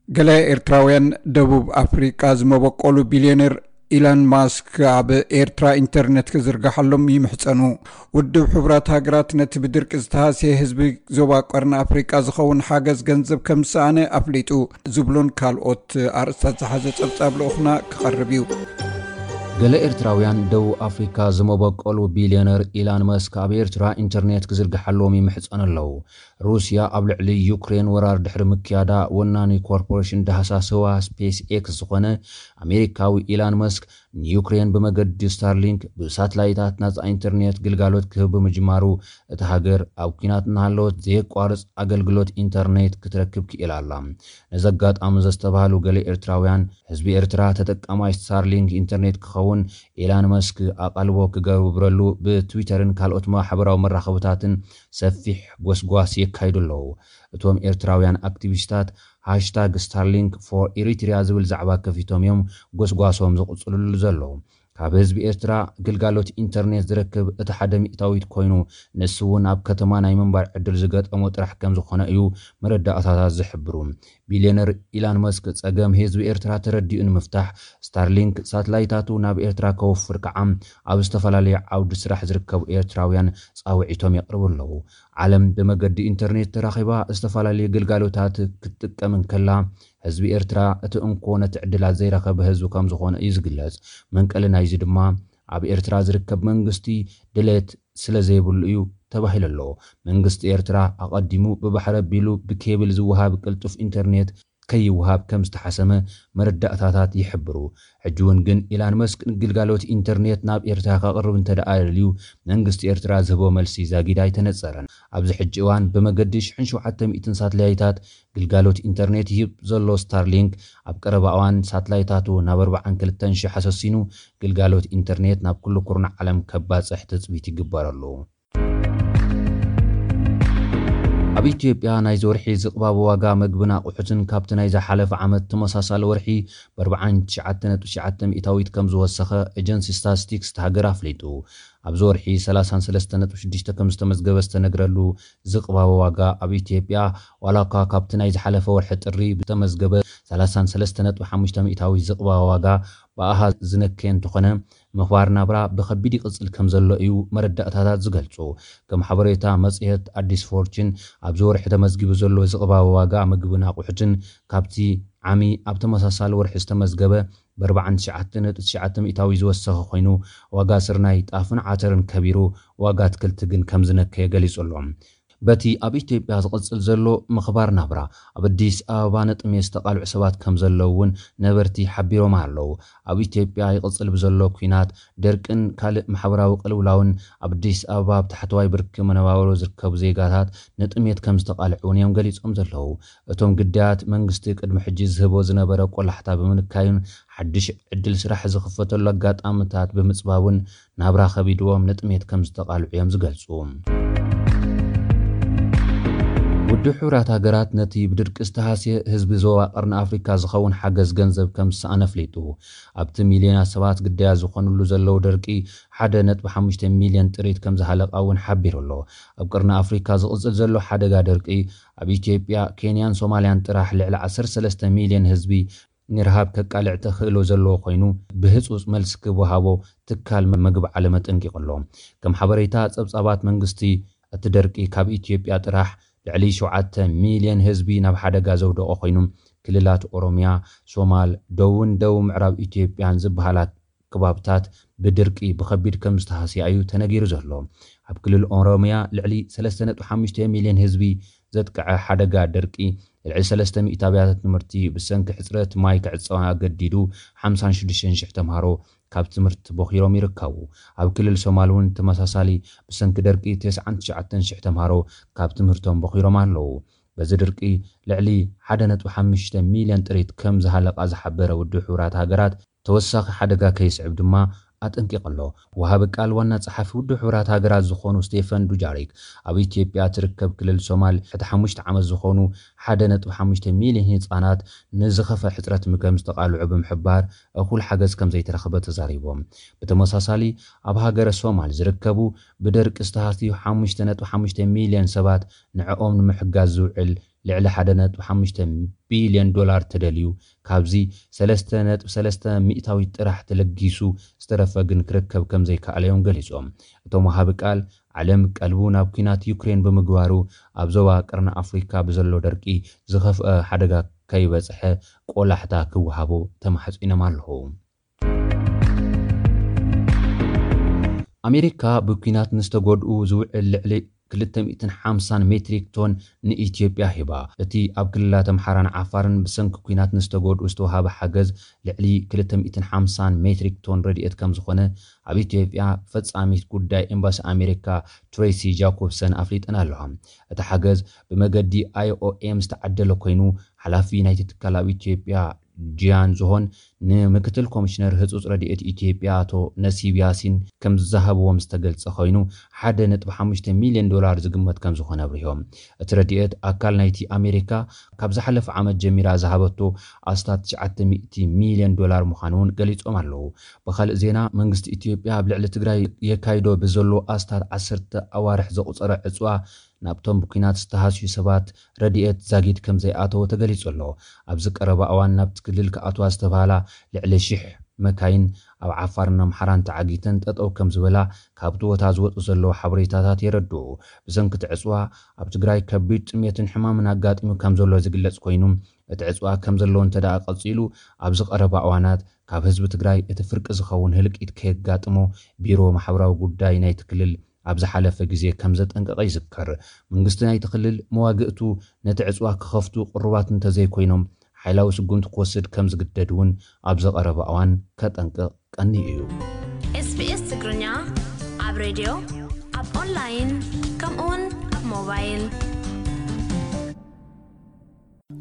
ገለ ኤርትራውያን ደቡብ ኣፍሪቃ ዝመበቆሉ ቢልዮነር ኢላን ማስክ ኣብ ኤርትራ ኢንተርኔት ክዝርግሓሎም ይምሕጸኑ። ውድብ ሕቡራት ሃገራት ነቲ ብድርቂ ዝተሃስየ ህዝቢ ዞባ ቀርኒ ኣፍሪቃ ዝኸውን ሓገዝ ገንዘብ ከም ዝሰኣነ ኣፍሊጡ ዝብሉን ካልኦት ኣርእስታት ዝሓዘ ጸብጻብ ልኡኽና ክቐርብ እዩ። ገለ ኤርትራውያን ደቡብ ኣፍሪካ ዝመበቆሉ ቢልዮነር ኢላን መስክ ኣብ ኤርትራ ኢንተርኔት ክዝርግሓሎም ይምሕጸኑ ኣለዉ። ሩስያ ኣብ ልዕሊ ዩክሬን ወራር ድሕሪ ምክያዳ፣ ወናኒ ኮርፖሬሽን ዳህሳስ ህዋ ስፔስ ኤክስ ዝኾነ ኣሜሪካዊ ኢላን መስክ ንዩክሬን ብመገዲ ስታርሊንክ ብሳትላይታት ናጻ ኢንተርኔት ግልጋሎት ክህብ ብምጅማሩ፣ እታ ሃገር ኣብ ኲናት እናሃለወት ዘየቋርጽ ኣገልግሎት ኢንተርኔት ክትረክብ ክኢላ ኣላ። ነዚ ኣጋጣሚ ዘስተብሃሉ ገለ ኤርትራውያን፣ ህዝቢ ኤርትራ ተጠቃማይ ስታርሊንክ ኢንተርኔት ክኸውን ኢላን መስክ ኣቓልቦ ክገብረሉ ብትዊተርን ካልኦት ማሕበራዊ መራኸብታትን ሰፊሕ ጎስጓስ የካይዱ ኣለዉ። እቶም ኤርትራውያን ኣክቲቪስታት ሃሽታግ ስታርሊንክ ፎር ኤሪትሪያ ዝብል ዛዕባ ከፊቶም እዮም ጎስጓሶም ዝቕጽልሉ ዘለዉ። ካብ ህዝቢ ኤርትራ ግልጋሎት ኢንተርኔት ዝረክብ እቲ ሓደ ሚእታዊት ኮይኑ፣ ንሱ እውን ኣብ ከተማ ናይ ምንባር ዕድል ዝገጠሞ ጥራሕ ከም ዝኾነ እዩ መረዳእታታት ዝሕብሩ። ቢልዮነር ኢላን መስክ ጸገም ህዝቢ ኤርትራ ተረዲኡ ንምፍታሕ፣ ስታርሊንክ ሳትላይታቱ ናብ ኤርትራ ከውፍር ከዓ ኣብ ዝተፈላለዩ ዓውዲ ስራሕ ዝርከቡ ኤርትራውያን ጻውዒቶም የቕርቡ ኣለዉ። ዓለም ብመገዲ ኢንተርኔት ተራኺባ ዝተፈላለዩ ግልጋሎታት ክትጥቀም እንከላ፣ ህዝቢ ኤርትራ እቲ እንኮ ነቲ ዕድላት ዘይረኸበ ህዝቢ ከም ዝኾነ እዩ ዝግለጽ። መንቀሊ ናይዚ ድማ ኣብ ኤርትራ ዝርከብ መንግስቲ ድሌት ስለ ዘይብሉ እዩ ተባሂሉ ኣሎ። መንግስቲ ኤርትራ ኣቐዲሙ ብባሕሪ ኣቢሉ ብኬብል ዝወሃብ ቅልጡፍ ኢንተርኔት ከይወሃብ ከም ዝተሓሰመ መረዳእታታት ይሕብሩ። ሕጂ እውን ግን ኢላን መስክ ንግልጋሎት ኢንተርኔት ናብ ኤርትራ ከቕርብ እንተ ደኣ ደልዩ፣ መንግስቲ ኤርትራ ዝህቦ መልሲ ዛጊድ ኣይተነጸረን። ኣብዚ ሕጂ እዋን ብመገዲ ሽሕን ሸውዓተ ሚእትን ሳትላይታት ግልጋሎት ኢንተርኔት ይህብ ዘሎ ስታርሊንክ፣ ኣብ ቀረባ እዋን ሳትላይታቱ ናብ ኣርባዓን ክልተን ሽሕ ኣሰሲኑ ግልጋሎት ኢንተርኔት ናብ ኩሉ ኩርናዕ ዓለም ከባጽሕ ትጽቢት ይግበረሉ። ኣብ ኢትዮጵያ ናይዚ ወርሒ ዝቕባበ ዋጋ መግብን ኣቑሑትን ካብቲ ናይ ዝሓለፈ ዓመት ተመሳሳሊ ወርሒ ብ ኣርባዓን ትሽዓተ ነጥቢ ትሽዓተ ሚእታዊት ከም ዝወሰኸ ኤጀንሲ ስታትስቲክስ እታ ሃገር ኣፍሊጡ። ኣብዚ ወርሒ ሰላሳን ሰለስተ ነጥቢ ሽዱሽተ ከም ዝተመዝገበ ዝተነግረሉ ዝቕባበ ዋጋ ኣብ ኢትዮጵያ፣ ዋላ እኳ ካብቲ ናይ ዝሓለፈ ወርሒ ጥሪ ዝተመዝገበ ሰላሳን ሰለስተ ነጥቢ ሓሙሽተ ሚእታዊት ዝቕባበ ዋጋ ብኣሃዝ ዝነከየ እንተኾነ፣ ምኽባር ናብራ ብኸቢድ ይቕጽል ከም ዘሎ እዩ መረዳእታታት ዝገልጹ። ከም ሓበሬታ መጽሔት ኣዲስ ፎርችን፣ ኣብዚ ወርሒ ተመዝጊቡ ዘሎ ዝቕባበ ዋጋ ምግብን ኣቑሑትን ካብቲ ዓሚ ኣብ ተመሳሳሊ ወርሒ ዝተመዝገበ ብ ኣርባዓን ትሽዓተ ነጥቢ ትሽዓተ ሚእታዊ ዝወሰኸ ኮይኑ፣ ዋጋ ስርናይ፣ ጣፍን ዓተርን ከቢሩ፣ ዋጋ ኣትክልቲ ግን ከም ዝነከየ ገሊጹ ኣሎ። በቲ ኣብ ኢትዮጵያ ዝቕጽል ዘሎ ምኽባር ናብራ፣ ኣብ ኣዲስ ኣበባ ንጥሜት ዝተቓልዑ ሰባት ከም ዘለዉ እውን ነበርቲ ሓቢሮም ኣለዉ። ኣብ ኢትዮጵያ ይቕጽል ብዘሎ ኲናት፣ ደርቅን ካልእ ማሕበራዊ ቅልውላውን ኣብ ኣዲስ ኣበባ ኣብ ታሕተዋይ ብርኪ መነባብሮ ዝርከቡ ዜጋታት ንጥሜት ከም ዝተቓልዑ እውን እዮም ገሊጾም ዘለዉ። እቶም ግዳያት፣ መንግስቲ ቅድሚ ሕጂ ዝህቦ ዝነበረ ቆላሕታ ብምንካዩን ሓድሽ ዕድል ስራሕ ዝኽፈተሉ ኣጋጣምታት ብምጽባቡን ናብራ ከቢድዎም ንጥሜት ከም ዝተቓልዑ እዮም ዝገልጹ። ውድብ ሕቡራት ሃገራት ነቲ ብድርቂ ዝተሃስየ ህዝቢ ዞባ ቀርኒ ኣፍሪካ ዝኸውን ሓገዝ ገንዘብ ከም ዝሰኣነ ኣፍሊጡ። ኣብቲ ሚልዮናት ሰባት ግዳያት ዝኾኑሉ ዘለዉ ደርቂ፣ ሓደ ነጥቢ ሓሙሽተ ሚልዮን ጥሪት ከም ዝሃለቓ እውን ሓቢሩ ኣሎ። ኣብ ቀርኒ ኣፍሪካ ዝቕጽል ዘሎ ሓደጋ ደርቂ፣ ኣብ ኢትዮጵያ፣ ኬንያን ሶማልያን ጥራሕ ልዕሊ ዓሰርተ ሰለስተ ሚልዮን ህዝቢ ንረሃብ ከቃልዕ ተኽእሎ ዘለዎ ኮይኑ፣ ብህጹጽ መልሲ ክወሃቦ ትካል መግቢ ዓለም ኣጠንቂቑ ኣሎ። ከም ሓበሬታ ጸብጻባት መንግስቲ፣ እቲ ደርቂ ካብ ኢትዮጵያ ጥራሕ ልዕሊ ሸውዓተ ሚልዮን ህዝቢ ናብ ሓደጋ ዘውደቐ ኮይኑ፣ ክልላት ኦሮሚያ፣ ሶማል፣ ደቡብን ደቡብ ምዕራብ ኢትዮጵያን ዝበሃላ ከባብታት ብድርቂ ብኸቢድ ከም ዝተሃስያ እዩ ተነጊሩ ዘሎ። ኣብ ክልል ኦሮሚያ ልዕሊ ሰለስተ ነጥቢ ሓሙሽተ ሚልዮን ህዝቢ ዘጥቅዐ ሓደጋ ደርቂ፣ ልዕሊ ሰለስተ ሚእቲ ኣብያተ ትምህርቲ ብሰንኪ ሕጽረት ማይ ክዕጸዋ ኣገዲዱ፣ ሓምሳን ሽዱሽተን ሽሕ ተምሃሮ ካብ ትምህርቲ ቦኺሮም ይርከቡ። ኣብ ክልል ሶማል እውን ተመሳሳሊ ብሰንኪ ደርቂ ተስዓን ትሽዓተን ሽሕ ተምሃሮ ካብ ትምህርቶም ቦኺሮም ኣለዉ። በዚ ድርቂ ልዕሊ ሓደ ነጥቢ ሓሙሽተ ሚልዮን ጥሪት ከም ዝሃለቓ ዝሓበረ ውድብ ሕቡራት ሃገራት፣ ተወሳኺ ሓደጋ ከይስዕብ ድማ ኣጠንቂቑ ኣሎ። ወሃቢ ቃል ዋና ጸሓፊ ውድብ ሕቡራት ሃገራት ዝኾኑ ስቴፈን ዱጃሪክ፣ ኣብ ኢትዮጵያ ትርከብ ክልል ሶማል፣ ትሕቲ ሓሙሽተ ዓመት ዝኾኑ ሓደ ነጥቢ ሓሙሽተ ሚልዮን ህጻናት ንዝኸፈ ሕጽረት ምግቢ ከም ዝተቓልዑ ብምሕባር፣ እኹል ሓገዝ ከም ዘይተረኽበ ተዛሪቦም። ብተመሳሳሊ፣ ኣብ ሃገረ ሶማል ዝርከቡ ብደርቂ ዝተሃስዩ ሓሙሽተ ነጥቢ ሓሙሽተ ሚልዮን ሰባት ንዕኦም ንምሕጋዝ ዝውዕል ልዕሊ ሓደ ነጥቢ ሓሙሽተ ቢልዮን ዶላር ተደልዩ፣ ካብዚ ሰለስተ ነጥቢ ሰለስተ ሚእታዊት ጥራሕ ተለጊሱ፣ ዝተረፈ ግን ክርከብ ከም ዘይከኣለ እዮም ገሊጾም። እቶም ወሃቢ ቃል፣ ዓለም ቀልቡ ናብ ኲናት ዩክሬን ብምግባሩ፣ ኣብ ዞባ ቀርኒ ኣፍሪካ ብዘሎ ደርቂ ዝኸፍአ ሓደጋ ከይበጽሐ ቆላሕታ ክወሃቦ ተማሕጺኖም ኣለዉ። ኣሜሪካ ብኲናት ንዝተጎድኡ ዝውዕል ልዕሊ ክልተ ሚእትን ሓምሳን ሜትሪክ ቶን ንኢትዮጵያ ሂባ። እቲ ኣብ ክልላት ኣምሓራን ዓፋርን ብሰንኪ ኲናት ንዝተጎድኡ ዝተወሃበ ሓገዝ ልዕሊ ክልተ ሚእትን ሓምሳን ሜትሪክ ቶን ረድኤት ከም ዝኾነ ኣብ ኢትዮጵያ ፈጻሚት ጉዳይ ኤምባሲ ኣሜሪካ ትሬሲ ጃኮብሰን ኣፍሊጠን ኣለዋ። እቲ ሓገዝ ብመገዲ ኣይ ኦ ኤም ዝተዓደለ ኮይኑ፣ ሓላፊ ናይቲ ትካል ኣብ ኢትዮጵያ ጂያን ዝሆን ንምክትል ኮሚሽነር ህጹጽ ረድኤት ኢትዮጵያ ኣቶ ነሲብ ያሲን ከም ዝሃብዎም ዝተገልጸ ኮይኑ፣ ሓደ ነጥቢ ሓሙሽተ ሚልዮን ዶላር ዝግመት ከም ዝኾነ ኣብሪሆም። እቲ ረድኤት ኣካል ናይቲ ኣሜሪካ ካብ ዝሓለፈ ዓመት ጀሚራ ዝሃበቶ ኣስታት ትሽዓተ ሚእቲ ሚልዮን ዶላር ምዃኑ እውን ገሊጾም ኣለዉ። ብኻልእ ዜና፣ መንግስቲ ኢትዮጵያ ኣብ ልዕሊ ትግራይ የካይዶ ብዘሎ ኣስታት ዓሰርተ ኣዋርሕ ዘቑጸረ ዕጽዋ ናብቶም ብኲናት ዝተሃስዩ ሰባት ረድኤት ዛጊድ ከም ዘይኣተወ ተገሊጹ ኣሎ። ኣብዚ ቀረባ እዋን ናብቲ ክልል ክኣትዋ ዝተባህላ ልዕሊ ሽሕ መካይን ኣብ ዓፋርን ኣምሓራን ተዓጊተን ጠጠው ከም ዝበላ ካብቲ ቦታ ዝወጹ ዘለዉ ሓበሬታታት የረድኡ። ብሰንኪ እቲ ዕጽዋ ኣብ ትግራይ ከቢድ ጥሜትን ሕማምን ኣጋጢሙ ከም ዘሎ ዝግለጽ ኮይኑ፣ እቲ ዕጽዋ ከም ዘሎ እንተ ደኣ ቀጺሉ፣ ኣብዚ ቀረባ እዋናት ካብ ህዝቢ ትግራይ እቲ ፍርቂ ዝኸውን ህልቂት ከየጋጥሞ ቢሮ ማሕበራዊ ጉዳይ ናይቲ ክልል ኣብ ዝሓለፈ ግዜ ከም ዘጠንቀቐ ይዝከር። መንግስቲ ናይቲ ክልል መዋግእቱ ነቲ ዕጽዋ ክኸፍቱ ቅሩባት እንተዘይኮይኖም፣ ሓይላዊ ስጉምቲ ክወስድ ከም ዝግደድ እውን ኣብ ዝቐረበ እዋን ከጠንቅቕ ቀንዩ እዩ። ኤስቢኤስ ትግርኛ ኣብ ሬድዮ፣ ኣብ ኦንላይን፣ ከምኡውን ኣብ ሞባይል።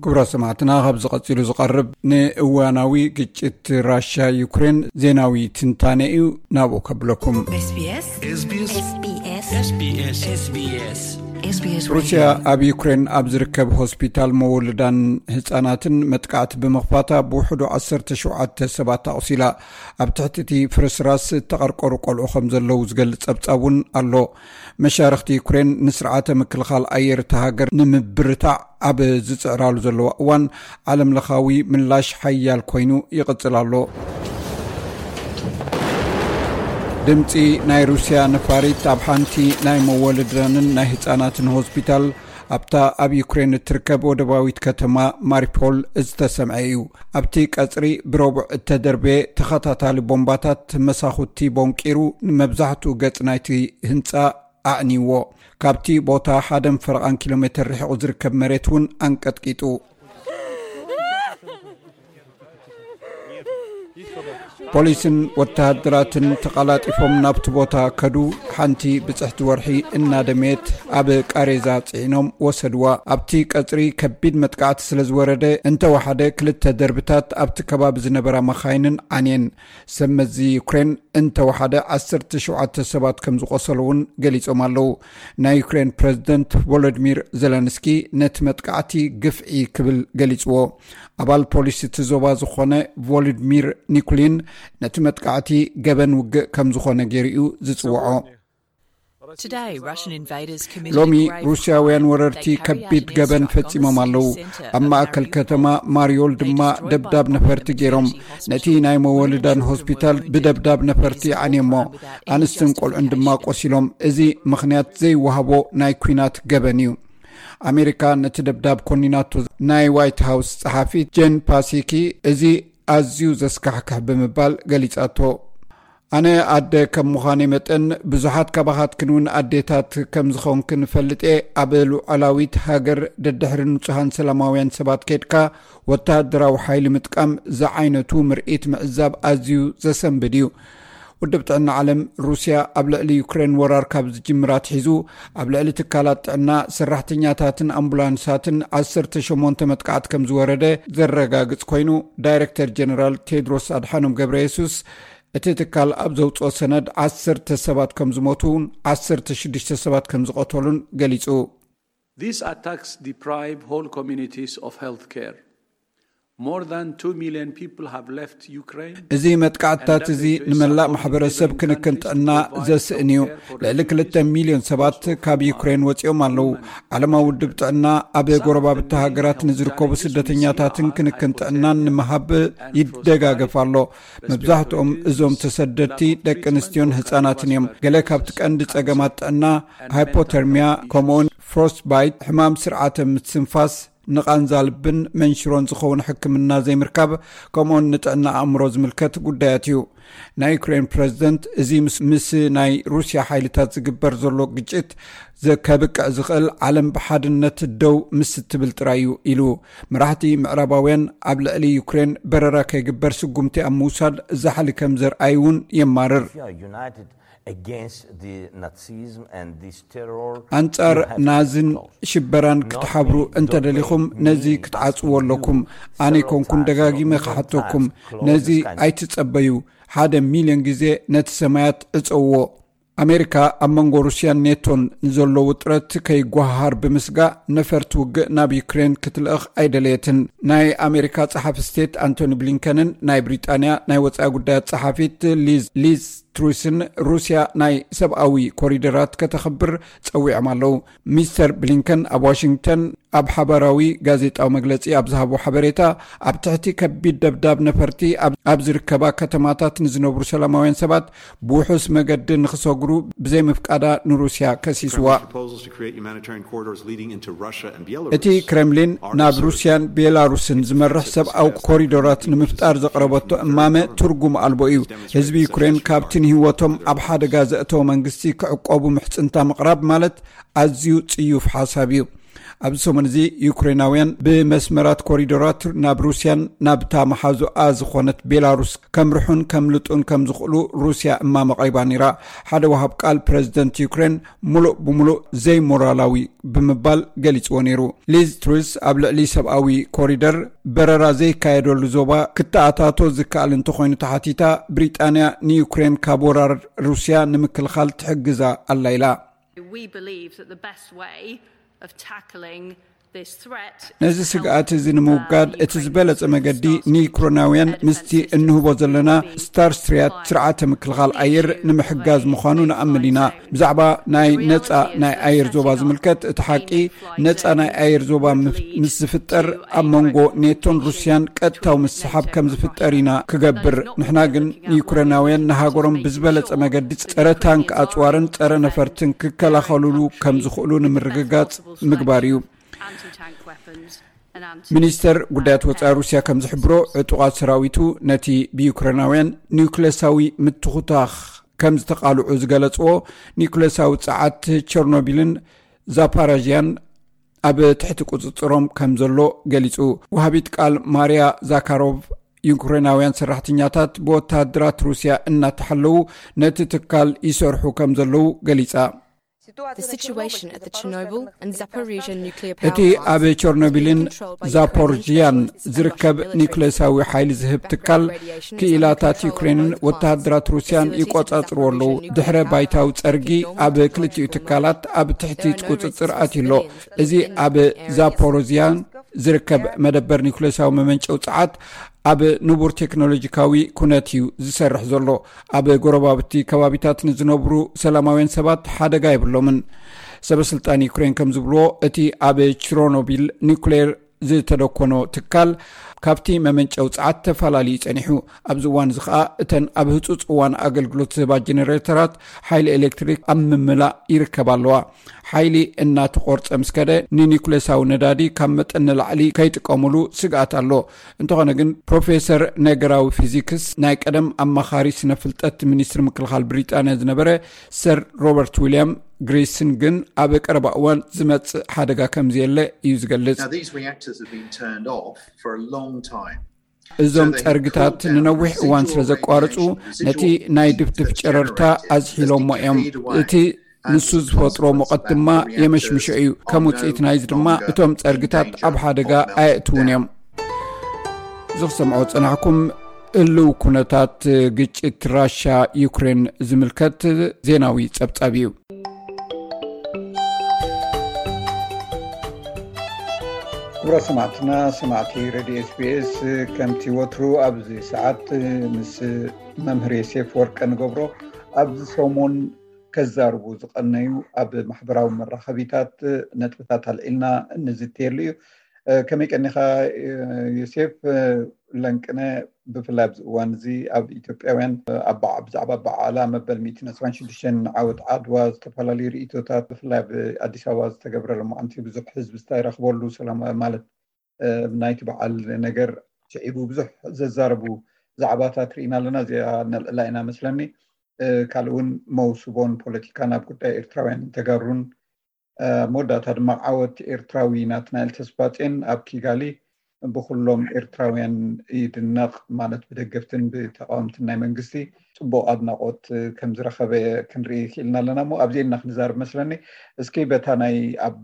ክቡራት ሰማዕትና፣ ካብዚ ቀጺሉ ዝቐርብ ንእዋናዊ ግጭት ራሽያ ዩክሬን ዜናዊ ትንታነ እዩ። ናብኡ ከብለኩም። SBS SBS SBS SBS SBS SBS ሩስያ ኣብ ዩክሬን ኣብ ዝርከብ ሆስፒታል መወልዳን ህጻናትን መጥቃዕቲ ብምኽፋታ ብውሕዱ ዓሰርተ ሸውዓተ ሰባት ኣቑሲላ። ኣብ ትሕቲ እቲ ፍርስራስ እተቐርቀሩ ቆልዑ ከም ዘለዉ ዝገልጽ ጸብጻብ እውን ኣሎ። መሻርኽቲ ዩክሬን ንስርዓተ ምክልኻል ኣየር እታ ሃገር ንምብርታዕ ኣብ ዝጽዕራሉ ዘለዋ እዋን፣ ዓለም ለኻዊ ምላሽ ሓያል ኮይኑ ይቕጽል ኣሎ። ድምጺ ናይ ሩስያ ነፋሪት ኣብ ሓንቲ ናይ መወልዳንን ናይ ህጻናትን ሆስፒታል ኣብታ ኣብ ዩክሬን እትርከብ ወደባዊት ከተማ ማሪፖል ዝተሰምዐ እዩ። ኣብቲ ቀጽሪ ብረቡዕ እተደርበየ ተኸታታሊ ቦምባታት መሳኹቲ ቦንቂሩ ንመብዛሕትኡ ገጽ ናይቲ ህንጻ ኣዕንይዎ። ካብቲ ቦታ ሓደን ፈረቓን ኪሎ ሜትር ርሒቑ ዝርከብ መሬት እውን ኣንቀጥቂጡ። ፖሊስን ወተሃደራትን ተቐላጢፎም ናብቲ ቦታ ከዱ። ሓንቲ ብጽሕቲ ወርሒ እናደመየት ኣብ ቃሬዛ ጽዒኖም ወሰድዋ። ኣብቲ ቀጽሪ ከቢድ መጥቃዕቲ ስለ ዝወረደ፣ እንተወሓደ ክልተ ደርብታት ኣብቲ ከባቢ ዝነበራ መኻይንን ዓንየን። ሰብ መዚ ዩክሬን እንተወሓደ ዓሰርተ ሸውዓተ ሰባት ከም ዝቖሰሉ እውን ገሊጾም ኣለዉ። ናይ ዩክሬን ፕረዚደንት ቮሎዲሚር ዘለንስኪ ነቲ መጥቃዕቲ ግፍዒ ክብል ገሊጽዎ። ኣባል ፖሊስ እቲ ዞባ ዝኾነ ቮሎዲሚር ኒኩሊን ነቲ መጥቃዕቲ ገበን ውግእ ከም ዝኾነ ገይሩ እዩ ዝጽውዖ። Today, Russian invaders committed ሎሚ a grave ሩስያውያን crime. ወረርቲ They carried ከቢድ out an ገበን airstrike on the ፈጺሞም city ኣለዉ። centre ኣብ of ማእከል Mariupol. ከተማ ማሪዮል ድማ ደብዳብ ነፈርቲ ገይሮም ነቲ ናይ መወልዳን ሆስፒታል ብደብዳብ ነፈርቲ ዓንየሞ። ኣንስትን ቆልዑን ድማ ቆሲሎም። እዚ ምኽንያት ዘይወሃቦ ናይ ኲናት ገበን እዩ። ኣሜሪካ ነቲ ደብዳብ ኮኒናቶ። ናይ ዋይት ሃውስ ጸሓፊ ጄን ፓሲኪ እዚ ኣዝዩ ዘስካሕክሕ ብምባል ገሊጻቶ። ኣነ ኣደ ከም ምዃነይ መጠን ብዙሓት ካባኻትክን እውን ኣዴታት ከም ዝኾንክን እፈልጥ እየ። ኣብ ሉዓላዊት ሃገር ደድሕሪ ንጹሃን ሰላማውያን ሰባት ከድካ ወተሃደራዊ ሓይሊ ምጥቃም ዝዓይነቱ ምርኢት ምዕዛብ ኣዝዩ ዘሰንብድ እዩ። ውድብ ጥዕና ዓለም ሩስያ ኣብ ልዕሊ ዩክሬን ወራር ካብ ዝጅምር ኣትሒዙ ኣብ ልዕሊ ትካላት ጥዕና፣ ሰራሕተኛታትን ኣምቡላንሳትን ዓሰርተ ሸሞንተ መጥቃዕቲ ከም ዝወረደ ዘረጋግጽ ኮይኑ፣ ዳይሬክተር ጀነራል ቴድሮስ ኣድሓኖም ገብረ የሱስ እቲ ትካል ኣብ ዘውፅኦ ሰነድ ዓሰርተ ሰባት ከም ዝሞቱን ዓሰርተ ሽዱሽተ ሰባት ከም ዝቐተሉን ገሊጹ። These attacks deprive whole communities of health care. More than two million people have left Ukraine. እዚ መጥቃዕትታት እዚ ንመላእ ማሕበረሰብ ክንክን ጥዕና ዘስእን እዩ። ልዕሊ ክልተ ሚልዮን ሰባት ካብ ዩክሬን ወፂኦም ኣለዉ። ዓለማዊ ውድብ ጥዕና ኣብ ጎረባብቲ ሃገራት ንዝርከቡ ስደተኛታትን ክንክን ጥዕናን ንምሃብ ይደጋገፍ ኣሎ። መብዛሕትኦም እዞም ተሰደድቲ ደቂ ኣንስትዮን ህፃናትን እዮም። ገለ ካብቲ ቀንዲ ፀገማት ጥዕና ሃይፖተርሚያ፣ ከምኡውን ፍሮስትባይት፣ ሕማም ስርዓተ ምትንፋስ፣ ንቓንዛ ልብን መንሽሮን ዝኸውን ሕክምና ዘይምርካብ፣ ከምኡውን ንጥዕና ኣእምሮ ዝምልከት ጉዳያት እዩ። ናይ ዩክሬን ፕረዚደንት እዚ ምስ፣ ምስ ናይ ሩስያ ሓይልታት ዝግበር ዘሎ ግጭት ዘ-፣ ከብቅዕ ዝኽእል ዓለም ብሓድነት ደው ምስ እትብል ጥራይ እዩ ኢሉ። መራሕቲ ምዕራባውያን ኣብ ልዕሊ ዩክሬን በረራ ከይግበር ስጉምቲ ኣብ ምውሳድ ዛሕሊ ከም ዘርኣዩ እውን የማርር። If you are united against the Nazism and this terror, ኣንጻር you have to ናዝን be close. ሽበራን ክትሓብሩ እንተደሊኹም ነዚ ክትዓጽዎ ኣለኩም። ኣነ ኣይኮንኩን ደጋጊመ ክሓተኩም፣ ነዚ ኣይትጸበዩ። ሓደ ሚልዮን ግዜ ነቲ ሰማያት ዕጸውዎ። ኣሜሪካ ኣብ መንጎ ሩስያን ኔቶን ንዘሎ ውጥረት ከይጓሃር ብምስጋእ ነፈርቲ ውግእ ናብ ዩክሬን ክትልእኽ ኣይደለየትን። ናይ ኣሜሪካ ጸሓፊ ስቴት ኣንቶኒ ብሊንከንን ናይ ብሪጣንያ ናይ ወጻኢ ጉዳያት ጸሓፊት ሊዝ፣ ሊዝ ትሩስን ሩስያ ናይ ሰብኣዊ ኮሪደራት ከተኽብር ጸዊዖም ኣለዉ። ሚስተር ብሊንከን ኣብ ዋሽንግተን ኣብ ሓባራዊ ጋዜጣዊ መግለጺ ኣብ ዝሃቦ ሓበሬታ፣ ኣብ ትሕቲ ከቢድ ደብዳብ ነፈርቲ ኣብ፣ ኣብ ዝርከባ ከተማታት ንዝነብሩ ሰላማውያን ሰባት ብውሑስ መገዲ ንኽሰግሩ ብዘይምፍቃዳ ንሩስያ ከሲስዋ። Proposals to create humanitarian corridors leading into Russia and እቲ Belarus. ክሬምሊን ናብ ሩስያን ቤላሩስን ዝመርሕ ሰብኣዊ ኮሪዶራት ንምፍጣር ዘቕረበቶ እማመ ትርጉም ኣልቦ እዩ። ህዝቢ ዩክሬን ካብቲ ንህይወቶም ኣብ ሓደጋ ዘእተወ መንግስቲ ክዕቆቡ ምሕጽንታ ምቕራብ ማለት ኣዝዩ ጽዩፍ ሓሳብ እዩ። ኣብዚ ሰሙን እዚ ዩክሬናውያን ብመስመራት ኮሪዶራት ናብ ሩስያን ናብታ መሓዙኣ ዝኾነት ቤላሩስ ከምርሑን ከምልጡን ከም ዝኽእሉ ሩስያ እማመ ኣቕሪባ ነይራ። ሓደ ወሃብ ቃል ፕረዚደንት ዩክሬን ምሉእ ብምሉእ ዘይሞራላዊ ብምባል ገሊጽዎ ነይሩ። ሊዝ ትሩስ ኣብ ልዕሊ ሰብኣዊ ኮሪደር በረራ ዘይካየደሉ ዞባ ክተኣታቶ ዝከኣል እንተኾይኑ ተሓቲታ፣ ብሪጣንያ ንዩክሬን ካብ ወራር ሩስያ ንምክልኻል ትሕግዛ ኣላ ኢላ። We believe that the best way of tackling this threat ነዚ ስግኣት እዚ ንምውጋድ እቲ ዝበለጸ መገዲ ንዩክሬናውያን ምስቲ እንህቦ ዘለና ስታርስትሪያት ስርዓተ ምክልኻል ኣየር ንምሕጋዝ ምዃኑ ንኣምን ኢና። ብዛዕባ ናይ ነጻ ናይ ኣየር ዞባ ዝምልከት፣ እቲ ሓቂ ነጻ ናይ ኣየር ዞባ ምስ ዝፍጠር ኣብ መንጎ ኔቶን ሩስያን ቀጥታዊ ምስሓብ ከም ዝፍጠር ኢና ክገብር። ንሕና ግን ንዩክሬናውያን ንሃገሮም ብዝበለጸ መገዲ ጸረ ታንክ ኣጽዋርን ጸረ ነፈርትን ክከላኸሉሉ ከም ዝኽእሉ ንምርግጋጽ ምግባር እዩ። ሚኒስተር ጉዳያት ወጻኢ ሩስያ ከም ዝሕብሮ፣ ዕጡቓት ሰራዊቱ ነቲ ብዩክሬናውያን ኒውክለሳዊ ምትኹታኽ ከም ዝተቓልዑ ዝገለጽዎ፣ ኒኩሌሳዊ ጸዓት ቸርኖቢልን ዛፓራዥያን ኣብ ትሕቲ ቁጽጽሮም ከም ዘሎ ገሊጹ። ወሃቢት ቃል ማርያ ዛካሮቭ፣ ዩክሬናውያን ሰራሕተኛታት ብወተሃደራት ሩስያ እናተሓለዉ ነቲ ትካል ይሰርሑ ከም ዘለዉ ገሊጻ። The situation at the Chernobyl and Zaporizhia nuclear power እቲ ኣብ ቸርኖቢልን ዛፖርዥያን ዝርከብ ኒኩሌሳዊ ሓይሊ ዝህብ ትካል፣ ክኢላታት ዩክሬንን ወተሃደራት ሩስያን ይቆጻጽርዎ ኣለዉ። ድሕረ ባይታዊ ጸርጊ ኣብ ክልቲኡ ትካላት ኣብ ትሕቲ ቁጽጽር ኣትዩ ኣሎ። እዚ ኣብ ዛፖሮዝያን ዝርከብ መደበር ኒኩሌሳዊ መመንጨዊ ጸዓት ኣብ ንቡር ቴክኖሎጂካዊ ኩነት እዩ ዝሰርሕ ዘሎ። ኣብ ጎረባብቲ ከባቢታት ንዝነብሩ ሰላማውያን ሰባት ሓደጋ የብሎምን። ሰበስልጣን ዩክሬን ከም ዝብልዎ፣ እቲ ኣብ ችሮኖቢል ኒኩሌር ዝተደኮኖ ትካል ካብቲ መመንጨዊ ጸዓት ተፈላለዩ ጸኒሑ። ኣብዚ እዋን እዚ ኸኣ እተን ኣብ ህጹጽ እዋን ኣገልግሎት ዝህባ ጀነሬተራት ሓይሊ ኤሌክትሪክ ኣብ ምምላእ ይርከባ ኣለዋ። ሓይሊ እናተቖርጸ ምስ ከደ፣ ንኒኩሌሳዊ ነዳዲ ካብ መጠን ንላዕሊ ከይጥቀሙሉ ስግኣት ኣሎ። እንተኾነ ግን፣ ፕሮፌሰር ነገራዊ ፊዚክስ፣ ናይ ቀደም ኣማኻሪ ስነ ፍልጠት ሚኒስትሪ ምክልኻል ብሪጣንያ ዝነበረ ሰር ሮበርት ዊልያም ግሪስን ግን፣ ኣብ ቀረባ እዋን ዝመጽእ ሓደጋ ከም ዘየለ እዩ ዝገልጽ። Now, these reactors have been turned off for a long time. እዞም ጸርግታት ንነዊሕ እዋን ስለ ዘቋርጹ፣ ነቲ ናይ ድፍድፍ ጨረርታ ኣዝሒሎሞ እዮም። እቲ ንሱ ዝፈጥሮ ሙቐት ድማ የመሽምሾ እዩ። ከም ውጽኢት ናይዚ ድማ፣ እቶም ጸርግታት ኣብ ሓደጋ ኣየእትዉን እዮም። ዝኽሰምዖ ጸናሕኩም፣ ህልው ኩነታት ግጭት ራሻ ዩክሬን ዝምልከት ዜናዊ ጸብጻብ እዩ። ክቡራት ሰማዕትና፣ ሰማዕቲ ሬድዮ ኤስቢኤስ፣ ከምቲ ወትሩ ኣብዚ ሰዓት ምስ መምህር ዮሴፍ ወርቀ ንገብሮ፣ ኣብዚ ሰሙን ከዛርቡ ዝቐነዩ ኣብ ማሕበራዊ መራኸቢታት ነጥብታት ኣልዒልና እንዝትየሉ እዩ። ከመይ ቀኒኻ ዮሴፍ? ለንቅነ፣ ብፍላይ ኣብዚ እዋን እዚ ኣብ ኢትዮጵያውያን ኣብ በዓ- ብዛዕባ በዓላ መበል ሚእትን ዕስራን ሽዱሽተን ዓወት ዓድዋ ዝተፈላለዩ ርእይቶታት፣ ብፍላይ ኣብ ኣዲስ ኣበባ ዝተገብረ ሎማዓንቲ ብዙሕ ህዝቢ ዝተረኽበሉ ሰላም ማለት ናይቲ በዓል ነገር ስዒቡ ብዙሕ ዘዛረቡ ዛዕባታት ርኢና ኣለና። እዚኣ ነልዕላ ኢና መስለኒ። ካልእ እውን መውስቦን ፖለቲካን ኣብ ጉዳይ ኤርትራውያን ተጋሩን፣ መወዳእታ ድማ ዓወት ኤርትራዊ ናትናኤል ተስፋጼን ኣብ ኪጋሊ ብኩሎም ኤርትራውያን ይድነቕ፣ ማለት ብደገፍትን ብተቃወምትን ናይ መንግስቲ ጽቡቕ ኣድናቖት ከም ዝረኸበ ክንርኢ ክኢልና ኣለና። እሞ ኣብዚኤን ኢና ክንዛረብ መስለኒ። እስኪ በታ ናይ ኣብ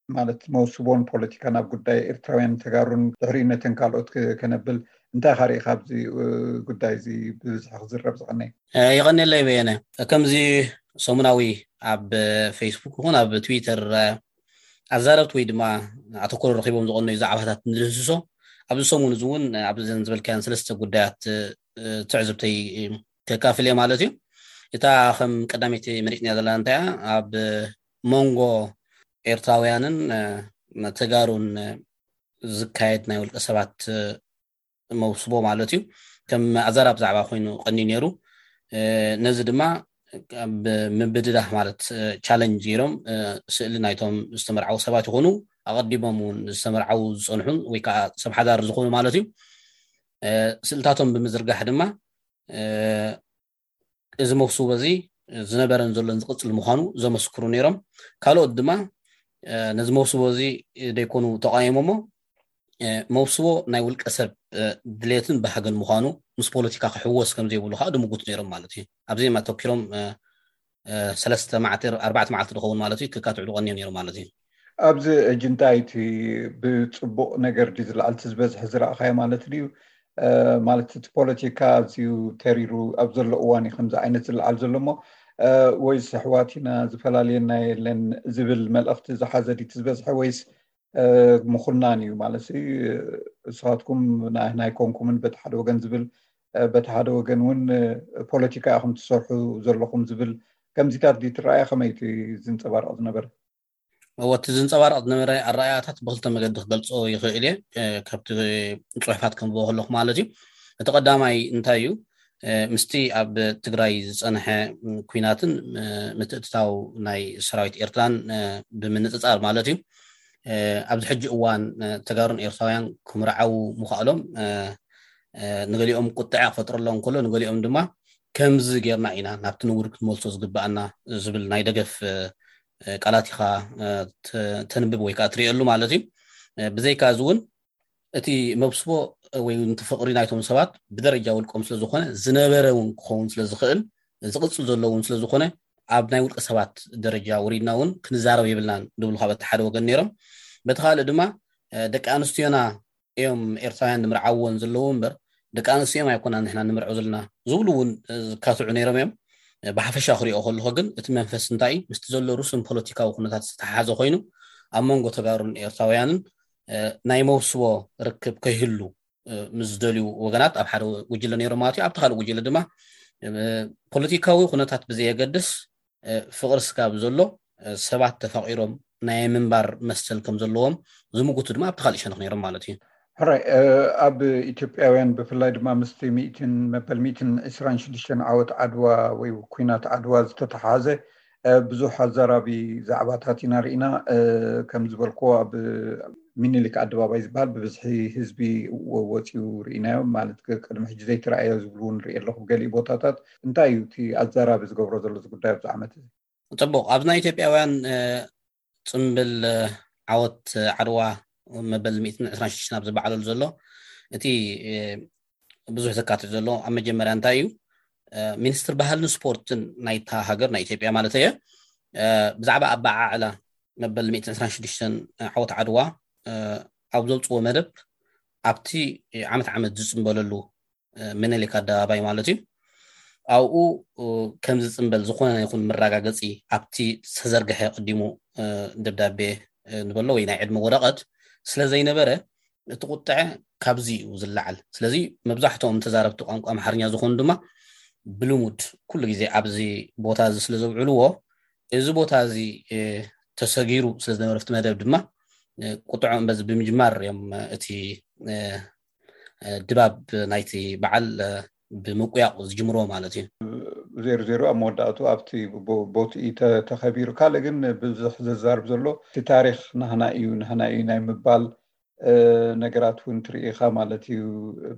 ማለት መውስቦን ፖለቲካን ኣብ ጉዳይ ኤርትራውያን ተጋሩን ድሕሪኡ ነተን ካልኦት ክ- ከነብል፣ እንታይ ኢኻ ርኢኻ ኣብዚ እ፣ ጉዳይ እዚ ብብዝሒ ክዝረብ ዝቐነየ? የቐንየለይ በየነ። ከምዚ ሰሙናዊ ኣብ ፌስቡክ ይኹን ኣብ ትዊተር ኣዛረብቲ ወይ ድማ ኣተኮሮ ረኺቦም ዝቐነዩ ዛዕባታት ንድህስሶ፣ ኣብዚ ሰሙን እዚ እውን ኣብዘን ዝበልካያን ሰለስተ ጉዳያት ትዕዝብተይ ከካፍል እየ ማለት እዩ። እታ ከም ቀዳመይቲ መሪፅና ዘለና እንታይ እያ? ኣብ መንጎ ኤርትራውያንን ተጋሩን ዝካየድ ናይ ውልቀ ሰባት መውስቦ ማለት እዩ፣ ከም ኣዘራብ ዛዕባ ኮይኑ ቀንዩ ነይሩ። ነዚ ድማ ምብድዳህ ማለት ቻለንጅ ገይሮም ስእሊ ናይቶም ዝተመርዓዉ ሰባት ይኾኑ፣ ኣቐዲሞም እውን ዝተመርዓዉ ዝፀንሑን ወይ ከዓ ሰብ ሓዳር ዝኾኑ ማለት እዩ፣ ስእልታቶም ብምዝርጋሕ ድማ እዚ መውስቦ እዚ ዝነበረን ዘሎን ዝቕፅል ምዃኑ ዘመስክሩ ነይሮም። ካልኦት ድማ ነዚ መውስቦ እዚ ደይኮኑ ተቃየሞሞ፣ መውስቦ ናይ ውልቀ ሰብ ድሌትን ባህግን ምዃኑ፣ ምስ ፖለቲካ ክሕወስ ከም ዘይብሉ ከዓ ድምጉት ነይሮም ማለት እዩ። ኣብዚኦም ኣተኪሮም ሰለስተ መዓልቲ ኣርባዕተ መዓልቲ ዝኸውን ማለት እዩ ክካትዑ ዝቐንዮም ነይሮም ማለት እዩ። ኣብዚ ሕጂ እንታይ እቲ ብፅቡቕ ነገር ድዩ ዝለዓል እቲ ዝበዝሐ ዝረኣኻዮ ማለት ድዩ? ማለት እቲ ፖለቲካ ኣዝዩ ተሪሩ ኣብ ዘሎ እዋን እዩ ከምዚ ዓይነት ዝለዓል ዘሎ እሞ፣ ወይስ ኣሕዋት ኢና ዝፈላልየና የለን ዝብል መልእኽቲ ዝሓዘ ድዩ እቲ ዝበዝሐ፣ ወይስ ምኹናን እዩ ማለት ንስኻትኩም ናህና ኣይኮንኩምን በቲ ሓደ ወገን ዝብል፣ በቲ ሓደ ወገን እውን ፖለቲካ ኢኹም ትሰርሑ ዘለኹም ዝብል ከምዚታት ድዩ ትረኣየ? ከመይ እቲ ዝንፀባረቕ ዝነበረ? እወ፣ እቲ ዝንፀባረቕ ዝነበረ ኣረኣእያታት ብክልተ መገዲ ክገልፆ ይኽእል እየ። ካብቲ ፅሑፋት ከንብቦ ከለኹ ማለት እዩ። እቲ ቀዳማይ እንታይ እዩ? ምስቲ ኣብ ትግራይ ዝፀንሐ ኲናትን ምትእትታው ናይ ሰራዊት ኤርትራን ብምንፅፃር ማለት እዩ። ኣብዚ ሕጂ እዋን ተጋሩን ኤርትራውያን ክምርዓው ምኽኣሎም ንገሊኦም ቁጥዐ ክፈጥረሎም ከሎ፣ ንገሊኦም ድማ ከምዚ ጌርና ኢና ናብቲ ንቡር ክንመልሶ ዝግብኣና ዝብል ናይ ደገፍ ቃላት ኢኻ ተንብብ ወይ ከዓ ትሪእየሉ ማለት እዩ። ብዘይካ እዚ እውን እቲ መብስቦ ወይ እቲ ፍቕሪ ናይቶም ሰባት ብደረጃ ውልቆም ስለዝኾነ ዝነበረ እውን ክኸውን ስለዝኽእል ዝቕፅል ዘሎ እውን ስለዝኾነ ኣብ ናይ ውልቀ ሰባት ደረጃ ወሪድና እውን ክንዛረብ የብልናን ዝብሉ ካብ እቲ ሓደ ወገን ነይሮም። በቲ ካልእ ድማ ደቂ ኣንስትዮና እዮም ኤርትራውያን ንምርዓወን ዘለዉ እምበር ደቂ ኣንስዮም ኣይኮና ንሕና ንምርዖ ዘለና ዝብሉ እውን ዝካትዑ ነይሮም እዮም። ብሓፈሻ ክሪኦ ከለኹ ግን እቲ መንፈስ እንታይ ምስቲ ዘሎ ሩስን ፖለቲካዊ ኩነታት ዝተሓሓዘ ኮይኑ ኣብ መንጎ ተጋሩን ኤርትራውያንን ናይ መውስቦ ርክብ ከይህሉ ምስ ዝደልዩ ወገናት ኣብ ሓደ ጉጅለ ነይሮም ማለት እዩ። ኣብቲ ካልእ ጉጅለ ድማ ፖለቲካዊ ኩነታት ብዘየገድስ ፍቕሪ ስጋብ ዘሎ ሰባት ተፋቒሮም ናይ ምንባር መሰል ከም ዘለዎም ዝምጉቱ ድማ ኣብቲ ካልእ ሸነኽ ነይሮም ማለት እዩ። ሕራይ ኣብ ኢትዮጵያውያን ብፍላይ ድማ ምስቲ ሚእትን መበል ሚእትን ዕስራን ሽዱሽተን ዓወት ዓድዋ ወይ ኩናት ዓድዋ ዝተተሓዘ ብዙሕ ኣዘራቢ ዛዕባታት ኢና ርኢና። ከም ዝበልክዎ ኣብ ሚኒሊክ ኣደባባይ ዝበሃል ብብዝሒ ህዝቢ ወፂኡ ርኢናዮ። ማለት ቅድሚ ሕጂ ዘይተረኣዮ ዝብሉ እውን ርኢ ኣለኹ። ገሊኡ ቦታታት እንታይ እዩ እቲ ኣዘራቢ ዝገብሮ ዘሎ እዚ ጉዳይ ኣብዚ ዓመት እዚ? ፅቡቕ። ኣብዚ ናይ ኢትዮጵያውያን ፅምብል ዓወት ዓድዋ መበል ሚእትን ዕስራን ሽዱሽተን ኣብ ዝበዓለሉ ዘሎ እቲ ብዙሕ ዘካትት ዘሎ ኣብ መጀመርያ እንታይ እዩ? ሚኒስትር ባህልን ስፖርትን ናይታ ሃገር ናይ ኢትዮጵያ ማለት እየ ብዛዕባ ኣበዓዕላ መበል ሚእትን ዕስራን ሽዱሽተን ዓወት ዓድዋ ኣብ ዘውፅዎ መደብ ኣብቲ ዓመት ዓመት ዝፅምበለሉ ምኒልክ ኣደባባይ ማለት እዩ ኣብኡ ከም ዝፅምበል ዝኾነ ይኹን መረጋገፂ ኣብቲ ዝተዘርግሐ ቅዲሙ ደብዳቤ ንበሎ ወይ ናይ ዕድመ ወረቐት ስለዘይነበረ እቲ ቁጥዐ ካብዚ እዩ ዝለዓል። ስለዚ መብዛሕትኦም ተዛረብቲ ቋንቋ ኣምሓርኛ ዝኾኑ ድማ ብልሙድ ኩሉ ግዜ ኣብዚ ቦታ እዚ ስለ ዘውዕልዎ እዚ ቦታ እዚ ተሰጊሩ ስለ ዝነበረ ኣብቲ መደብ ድማ ቁጥዖም በዚ ብምጅማር እዮም እቲ ድባብ ናይቲ በዓል ብምቁያቕ ዝጅምርዎ ማለት እዩ። ዜሮ ዜሮ ኣብ መወዳእቱ ኣብቲ ቦትኢ ተኸቢሩ። ካልእ ግን ብዙሕ ዘዛርብ ዘሎ እቲ ታሪኽ ናህና እዩ ናህና እዩ ናይ ምባል ነገራት እውን ትርኢ ኢኻ ማለት እዩ።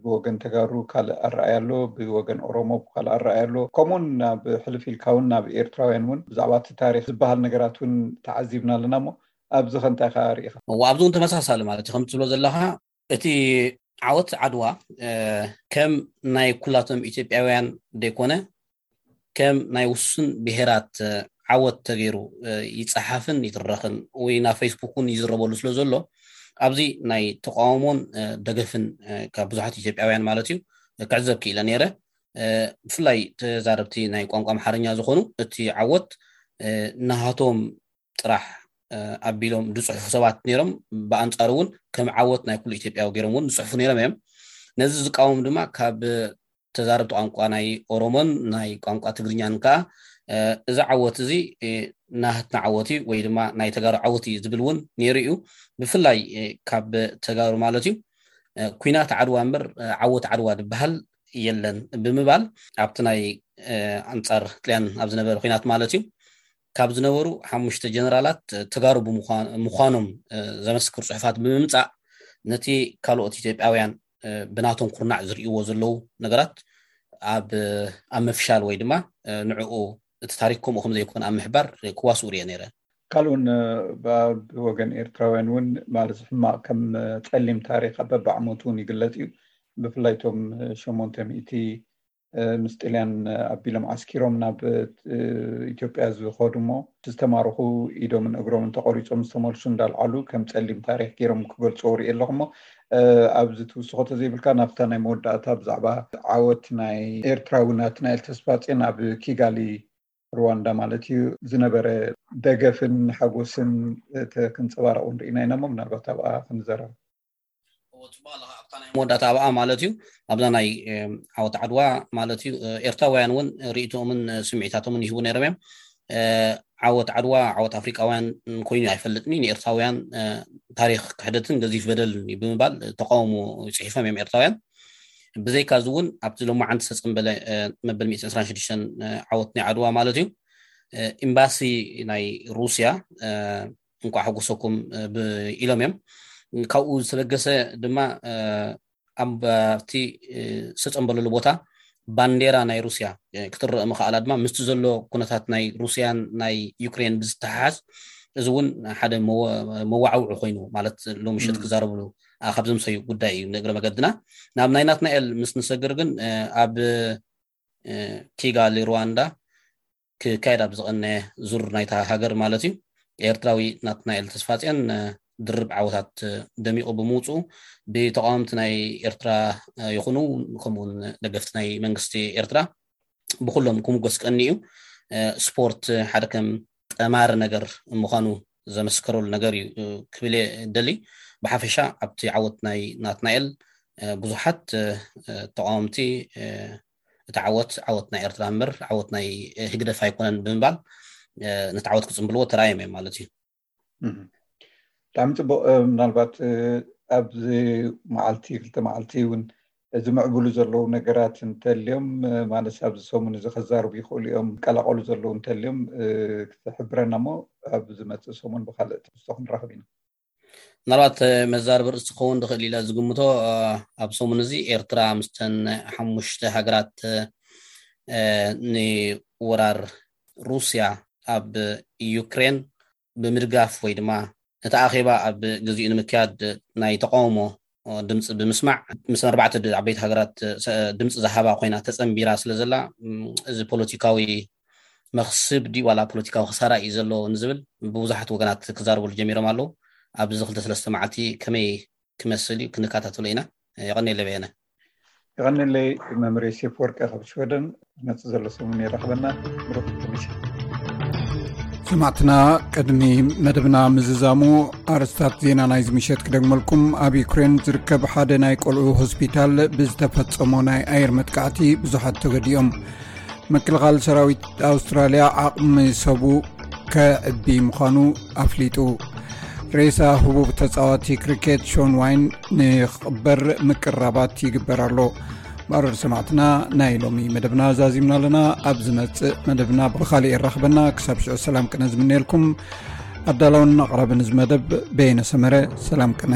ብወገን ተጋሩ ካልእ ኣረኣያ ኣሎ፣ ብወገን ኦሮሞ ካልእ ኣረኣያ ኣሎ። ከምኡውን ናብ ሕልፍ ኢልካ እውን ናብ ኤርትራውያን እውን ብዛዕባ እቲ ታሪኽ ዝበሃል ነገራት እውን ተዓዚብና ኣለና። እሞ ኣብዚ ከ እንታይ ኢኻ ርኢኻ? እዎ ኣብዚ እውን ተመሳሳሊ ማለት እዩ። ከም ትብሎ ዘለኻ እቲ ዓወት ዓድዋ ከም ናይ ኩላቶም ኢትዮጵያውያን ዘይኮነ ከም ናይ ውሱን ብሄራት ዓወት ተገይሩ ይፀሓፍን ይትረኽን ወይ ናብ ፌስቡክ እውን ይዝረበሉ ስለ ዘሎ ኣብዚ ናይ ተቃውሞን ደገፍን ካብ ብዙሓት ኢትዮጵያውያን ማለት እዩ ክዕዘብ ክኢለ ነይረ። ብፍላይ ተዛረብቲ ናይ ቋንቋ ኣምሓርኛ ዝኾኑ እቲ ዓወት ናሃቶም ጥራሕ ኣቢሎም ዝፅሕፉ ሰባት ነይሮም። ብኣንፃሩ እውን ከም ዓወት ናይ ኩሉ ኢትዮጵያዊ ገይሮም እውን ዝፅሕፉ ነይሮም እዮም። ነዚ ዝቃወም ድማ ካብ ተዛረብቲ ቋንቋ ናይ ኦሮሞን ናይ ቋንቋ ትግርኛን ከዓ እዚ ዓወት እዚ ናህትና ዓወት እዩ ወይ ድማ ናይ ተጋሩ ዓወት እዩ ዝብል እውን ነይሩ እዩ። ብፍላይ ካብ ተጋሩ ማለት እዩ ኩናት ዓድዋ እምበር ዓወት ዓድዋ ዝበሃል የለን ብምባል ኣብቲ ናይ ኣንፃር ጥልያን ኣብ ዝነበረ ኩናት ማለት እዩ ካብ ዝነበሩ ሓሙሽተ ጀነራላት ተጋሩ ምዃኖም ዘመስክር ፅሑፋት ብምምፃእ ነቲ ካልኦት ኢትዮጵያውያን ብናቶም ኩርናዕ ዝርእይዎ ዘለዉ ነገራት ኣብ ኣብ ምፍሻል ወይ ድማ ንዕኡ እቲ ታሪክ ከምኡ ከም ዘይኮነ ኣብ ምሕባር ክዋስኡ ርየ ነይረ። ካልኡን ብወገን ኤርትራውያን እውን ማለት ሕማቕ ከም ፀሊም ታሪክ ኣብ በብዓመቱ እውን ይግለፅ እዩ። ብፍላይ ቶም ሸሞንተ ሚእቲ ምስ ጥልያን ኣቢሎም ዓስኪሮም ናብ ኢትዮጵያ ዝኸዱ እሞ ዝተማረኹ ኢዶምን እግሮምን ተቆሪፆም ዝተመልሱ እንዳልዓሉ ከም ፀሊም ታሪክ ገይሮም ክገልፅዎ ርኢ ኣለኹ። እሞ ኣብዚ ትውስኾ ተዘይብልካ ናብታ ናይ መወዳእታ ብዛዕባ ዓወት ናይ ኤርትራዊ ናትናኤል ተስፋፅዮን ኣብ ኪጋሊ ሩዋንዳ ማለት እዩ ዝነበረ ደገፍን ሓጎስን ክንፀባረቕ ንርኢና ኢና። እሞ ምናልባት ኣብኣ ክንዘረብ መወዳእታ ኣብኣ ማለት እዩ ኣብዛ ናይ ዓወት ዓድዋ ማለት እዩ ኤርትራውያን እውን ርእይቶምን ስምዒታቶምን ይህቡ ነይሮም እዮም። ዓወት ዓድዋ ዓወት ኣፍሪቃውያን ኮይኑ ኣይፈልጥን እዩ። ንኤርትራውያን ታሪክ ክሕደትን ገዚፍ በደልን እዩ ብምባል ተቃውሞ ፅሒፎም እዮም ኤርትራውያን። ብዘይካ እዚ እውን ኣብቲ ሎማዓንቲ ዝተፀንበለ መበል ሚእትን ዕስራን ሽዱሽተን ዓወት ናይ ዓድዋ ማለት እዩ ኤምባሲ ናይ ሩስያ እንኳዕ ሓጎሰኩም ኢሎም እዮም። ካብኡ ዝተበገሰ ድማ ኣብቲ ዝተፀንበለሉ ቦታ ባንዴራ ናይ ሩስያ ክትረእ ምኽኣላ ድማ ምስቲ ዘሎ ኩነታት ናይ ሩስያን ናይ ዩክሬን ብዝተሓሓዝ፣ እዚ እውን ሓደ መወዓውዒ ኮይኑ፣ ማለት ሎሚ ምሸት ክዛረብሉ ካብ ዘምሰዩ ጉዳይ እዩ። ንእግረ መገድና ናብ ናይ ናትናኤል ምስ ንሰግር ግን፣ ኣብ ኪጋሊ ሩዋንዳ ክካየድ ኣብ ዝቐነ ዙር ናይታ ሃገር ማለት እዩ፣ ኤርትራዊ ናትናኤል ተስፋጽዮን ድርብ ዓወታት ደሚቑ ብምውፅኡ፣ ብተቃወምቲ ናይ ኤርትራ ይኹኑ፣ ከምኡውን ደገፍቲ ናይ መንግስቲ ኤርትራ ብኩሎም ክምጎስ ቀኒ እዩ። ስፖርት ሓደ ከም ጠማሪ ነገር ምዃኑ ዘመስከረሉ ነገር እዩ ክብል እየ ደሊ። ብሓፈሻ ኣብቲ ዓወት ናይ ናትናኤል ብዙሓት ተቃወምቲ፣ እቲ ዓወት ዓወት ናይ ኤርትራ እምበር ዓወት ናይ ህግደፍ ኣይኮነን ብምባል ነቲ ዓወት ክጽንብልዎ ተራእዮም እዮም ማለት እዩ። ብጣዕሚ ፅቡቅ። ምናልባት ኣብዚ መዓልቲ ክልተ መዓልቲ እውን ዝምዕብሉ ዘለዉ ነገራት እንተልዮም፣ ማለት ኣብዚ ሰሙን እዚ ከዛርቡ ይኽእሉ እዮም፣ ቀላቀሉ ዘለዉ እንተልዮም ክትሕብረና እሞ ኣብ ዝመፅእ ሰሙን ብካልእ ትሕዝቶ ክንራኽብ ኢና። ምናልባት መዛርብ ርእሲ ክኸውን ዝኽእል ኢለ ዝግምቶ፣ ኣብ ሰሙን እዚ ኤርትራ ምስተን ሓሙሽተ ሃገራት ንወራር ሩስያ ኣብ ዩክሬን ብምድጋፍ ወይ ድማ እቲ ኣኼባ ኣብ ግዚኡ ንምክያድ ናይ ተቃውሞ ድምፂ ብምስማዕ፣ ምስ ኣርባዕተ ዓበይቲ ሃገራት ድምፂ ዝሃባ ኮይና ተፀንቢራ ስለ ዘላ፣ እዚ ፖለቲካዊ መኽስብ ድዩ ዋላ ፖለቲካዊ ክሳራ እዩ ዘሎ ንዝብል ብብዙሓት ወገናት ክዛረበሉ ጀሚሮም ኣለዉ። ኣብዚ ክልተ ሰለስተ መዓልቲ ከመይ ክመስል እዩ ክንከታተሎ ኢና። የቐኔለ በየነ። የቐኔለይ መምህር ዮሴፍ ወርቀ ካብ ሽወደን። ዝመፅእ ዘሎ ሰሙን የራኽበና። ምሩኽ ምሽት። ሰማዕትና፣ ቅድሚ መደብና ምዝዛሙ ኣርስታት ዜና ናይዚ ምሸት ክደግመልኩም። ኣብ ዩክሬን ዝርከብ ሓደ ናይ ቆልዑ ሆስፒታል ብዝተፈጸሞ ናይ ኣየር መጥቃዕቲ ብዙሓት ተገዲኦም። ምክልኻል ሰራዊት ኣውስትራልያ ዓቕሚ ሰቡ ከዕቢ ምዃኑ ኣፍሊጡ። ሬሳ ህቡብ ተጻዋቲ ክሪኬት ሾን ዋይን ንክቕበር ምቅራባት ይግበር ኣሎ። ባረር ሰማዕትና፣ ናይ ሎሚ መደብና ዛዚምና ኣለና። ኣብ ዝመጽእ መደብና ብኻሊእ የራኽበና። ክሳብ ሽዑ ሰላም ቅነ ዝምነየልኩም። ኣዳላውን ኣቕራብን እዚ መደብ በየነ ሰመረ። ሰላም ቅነ።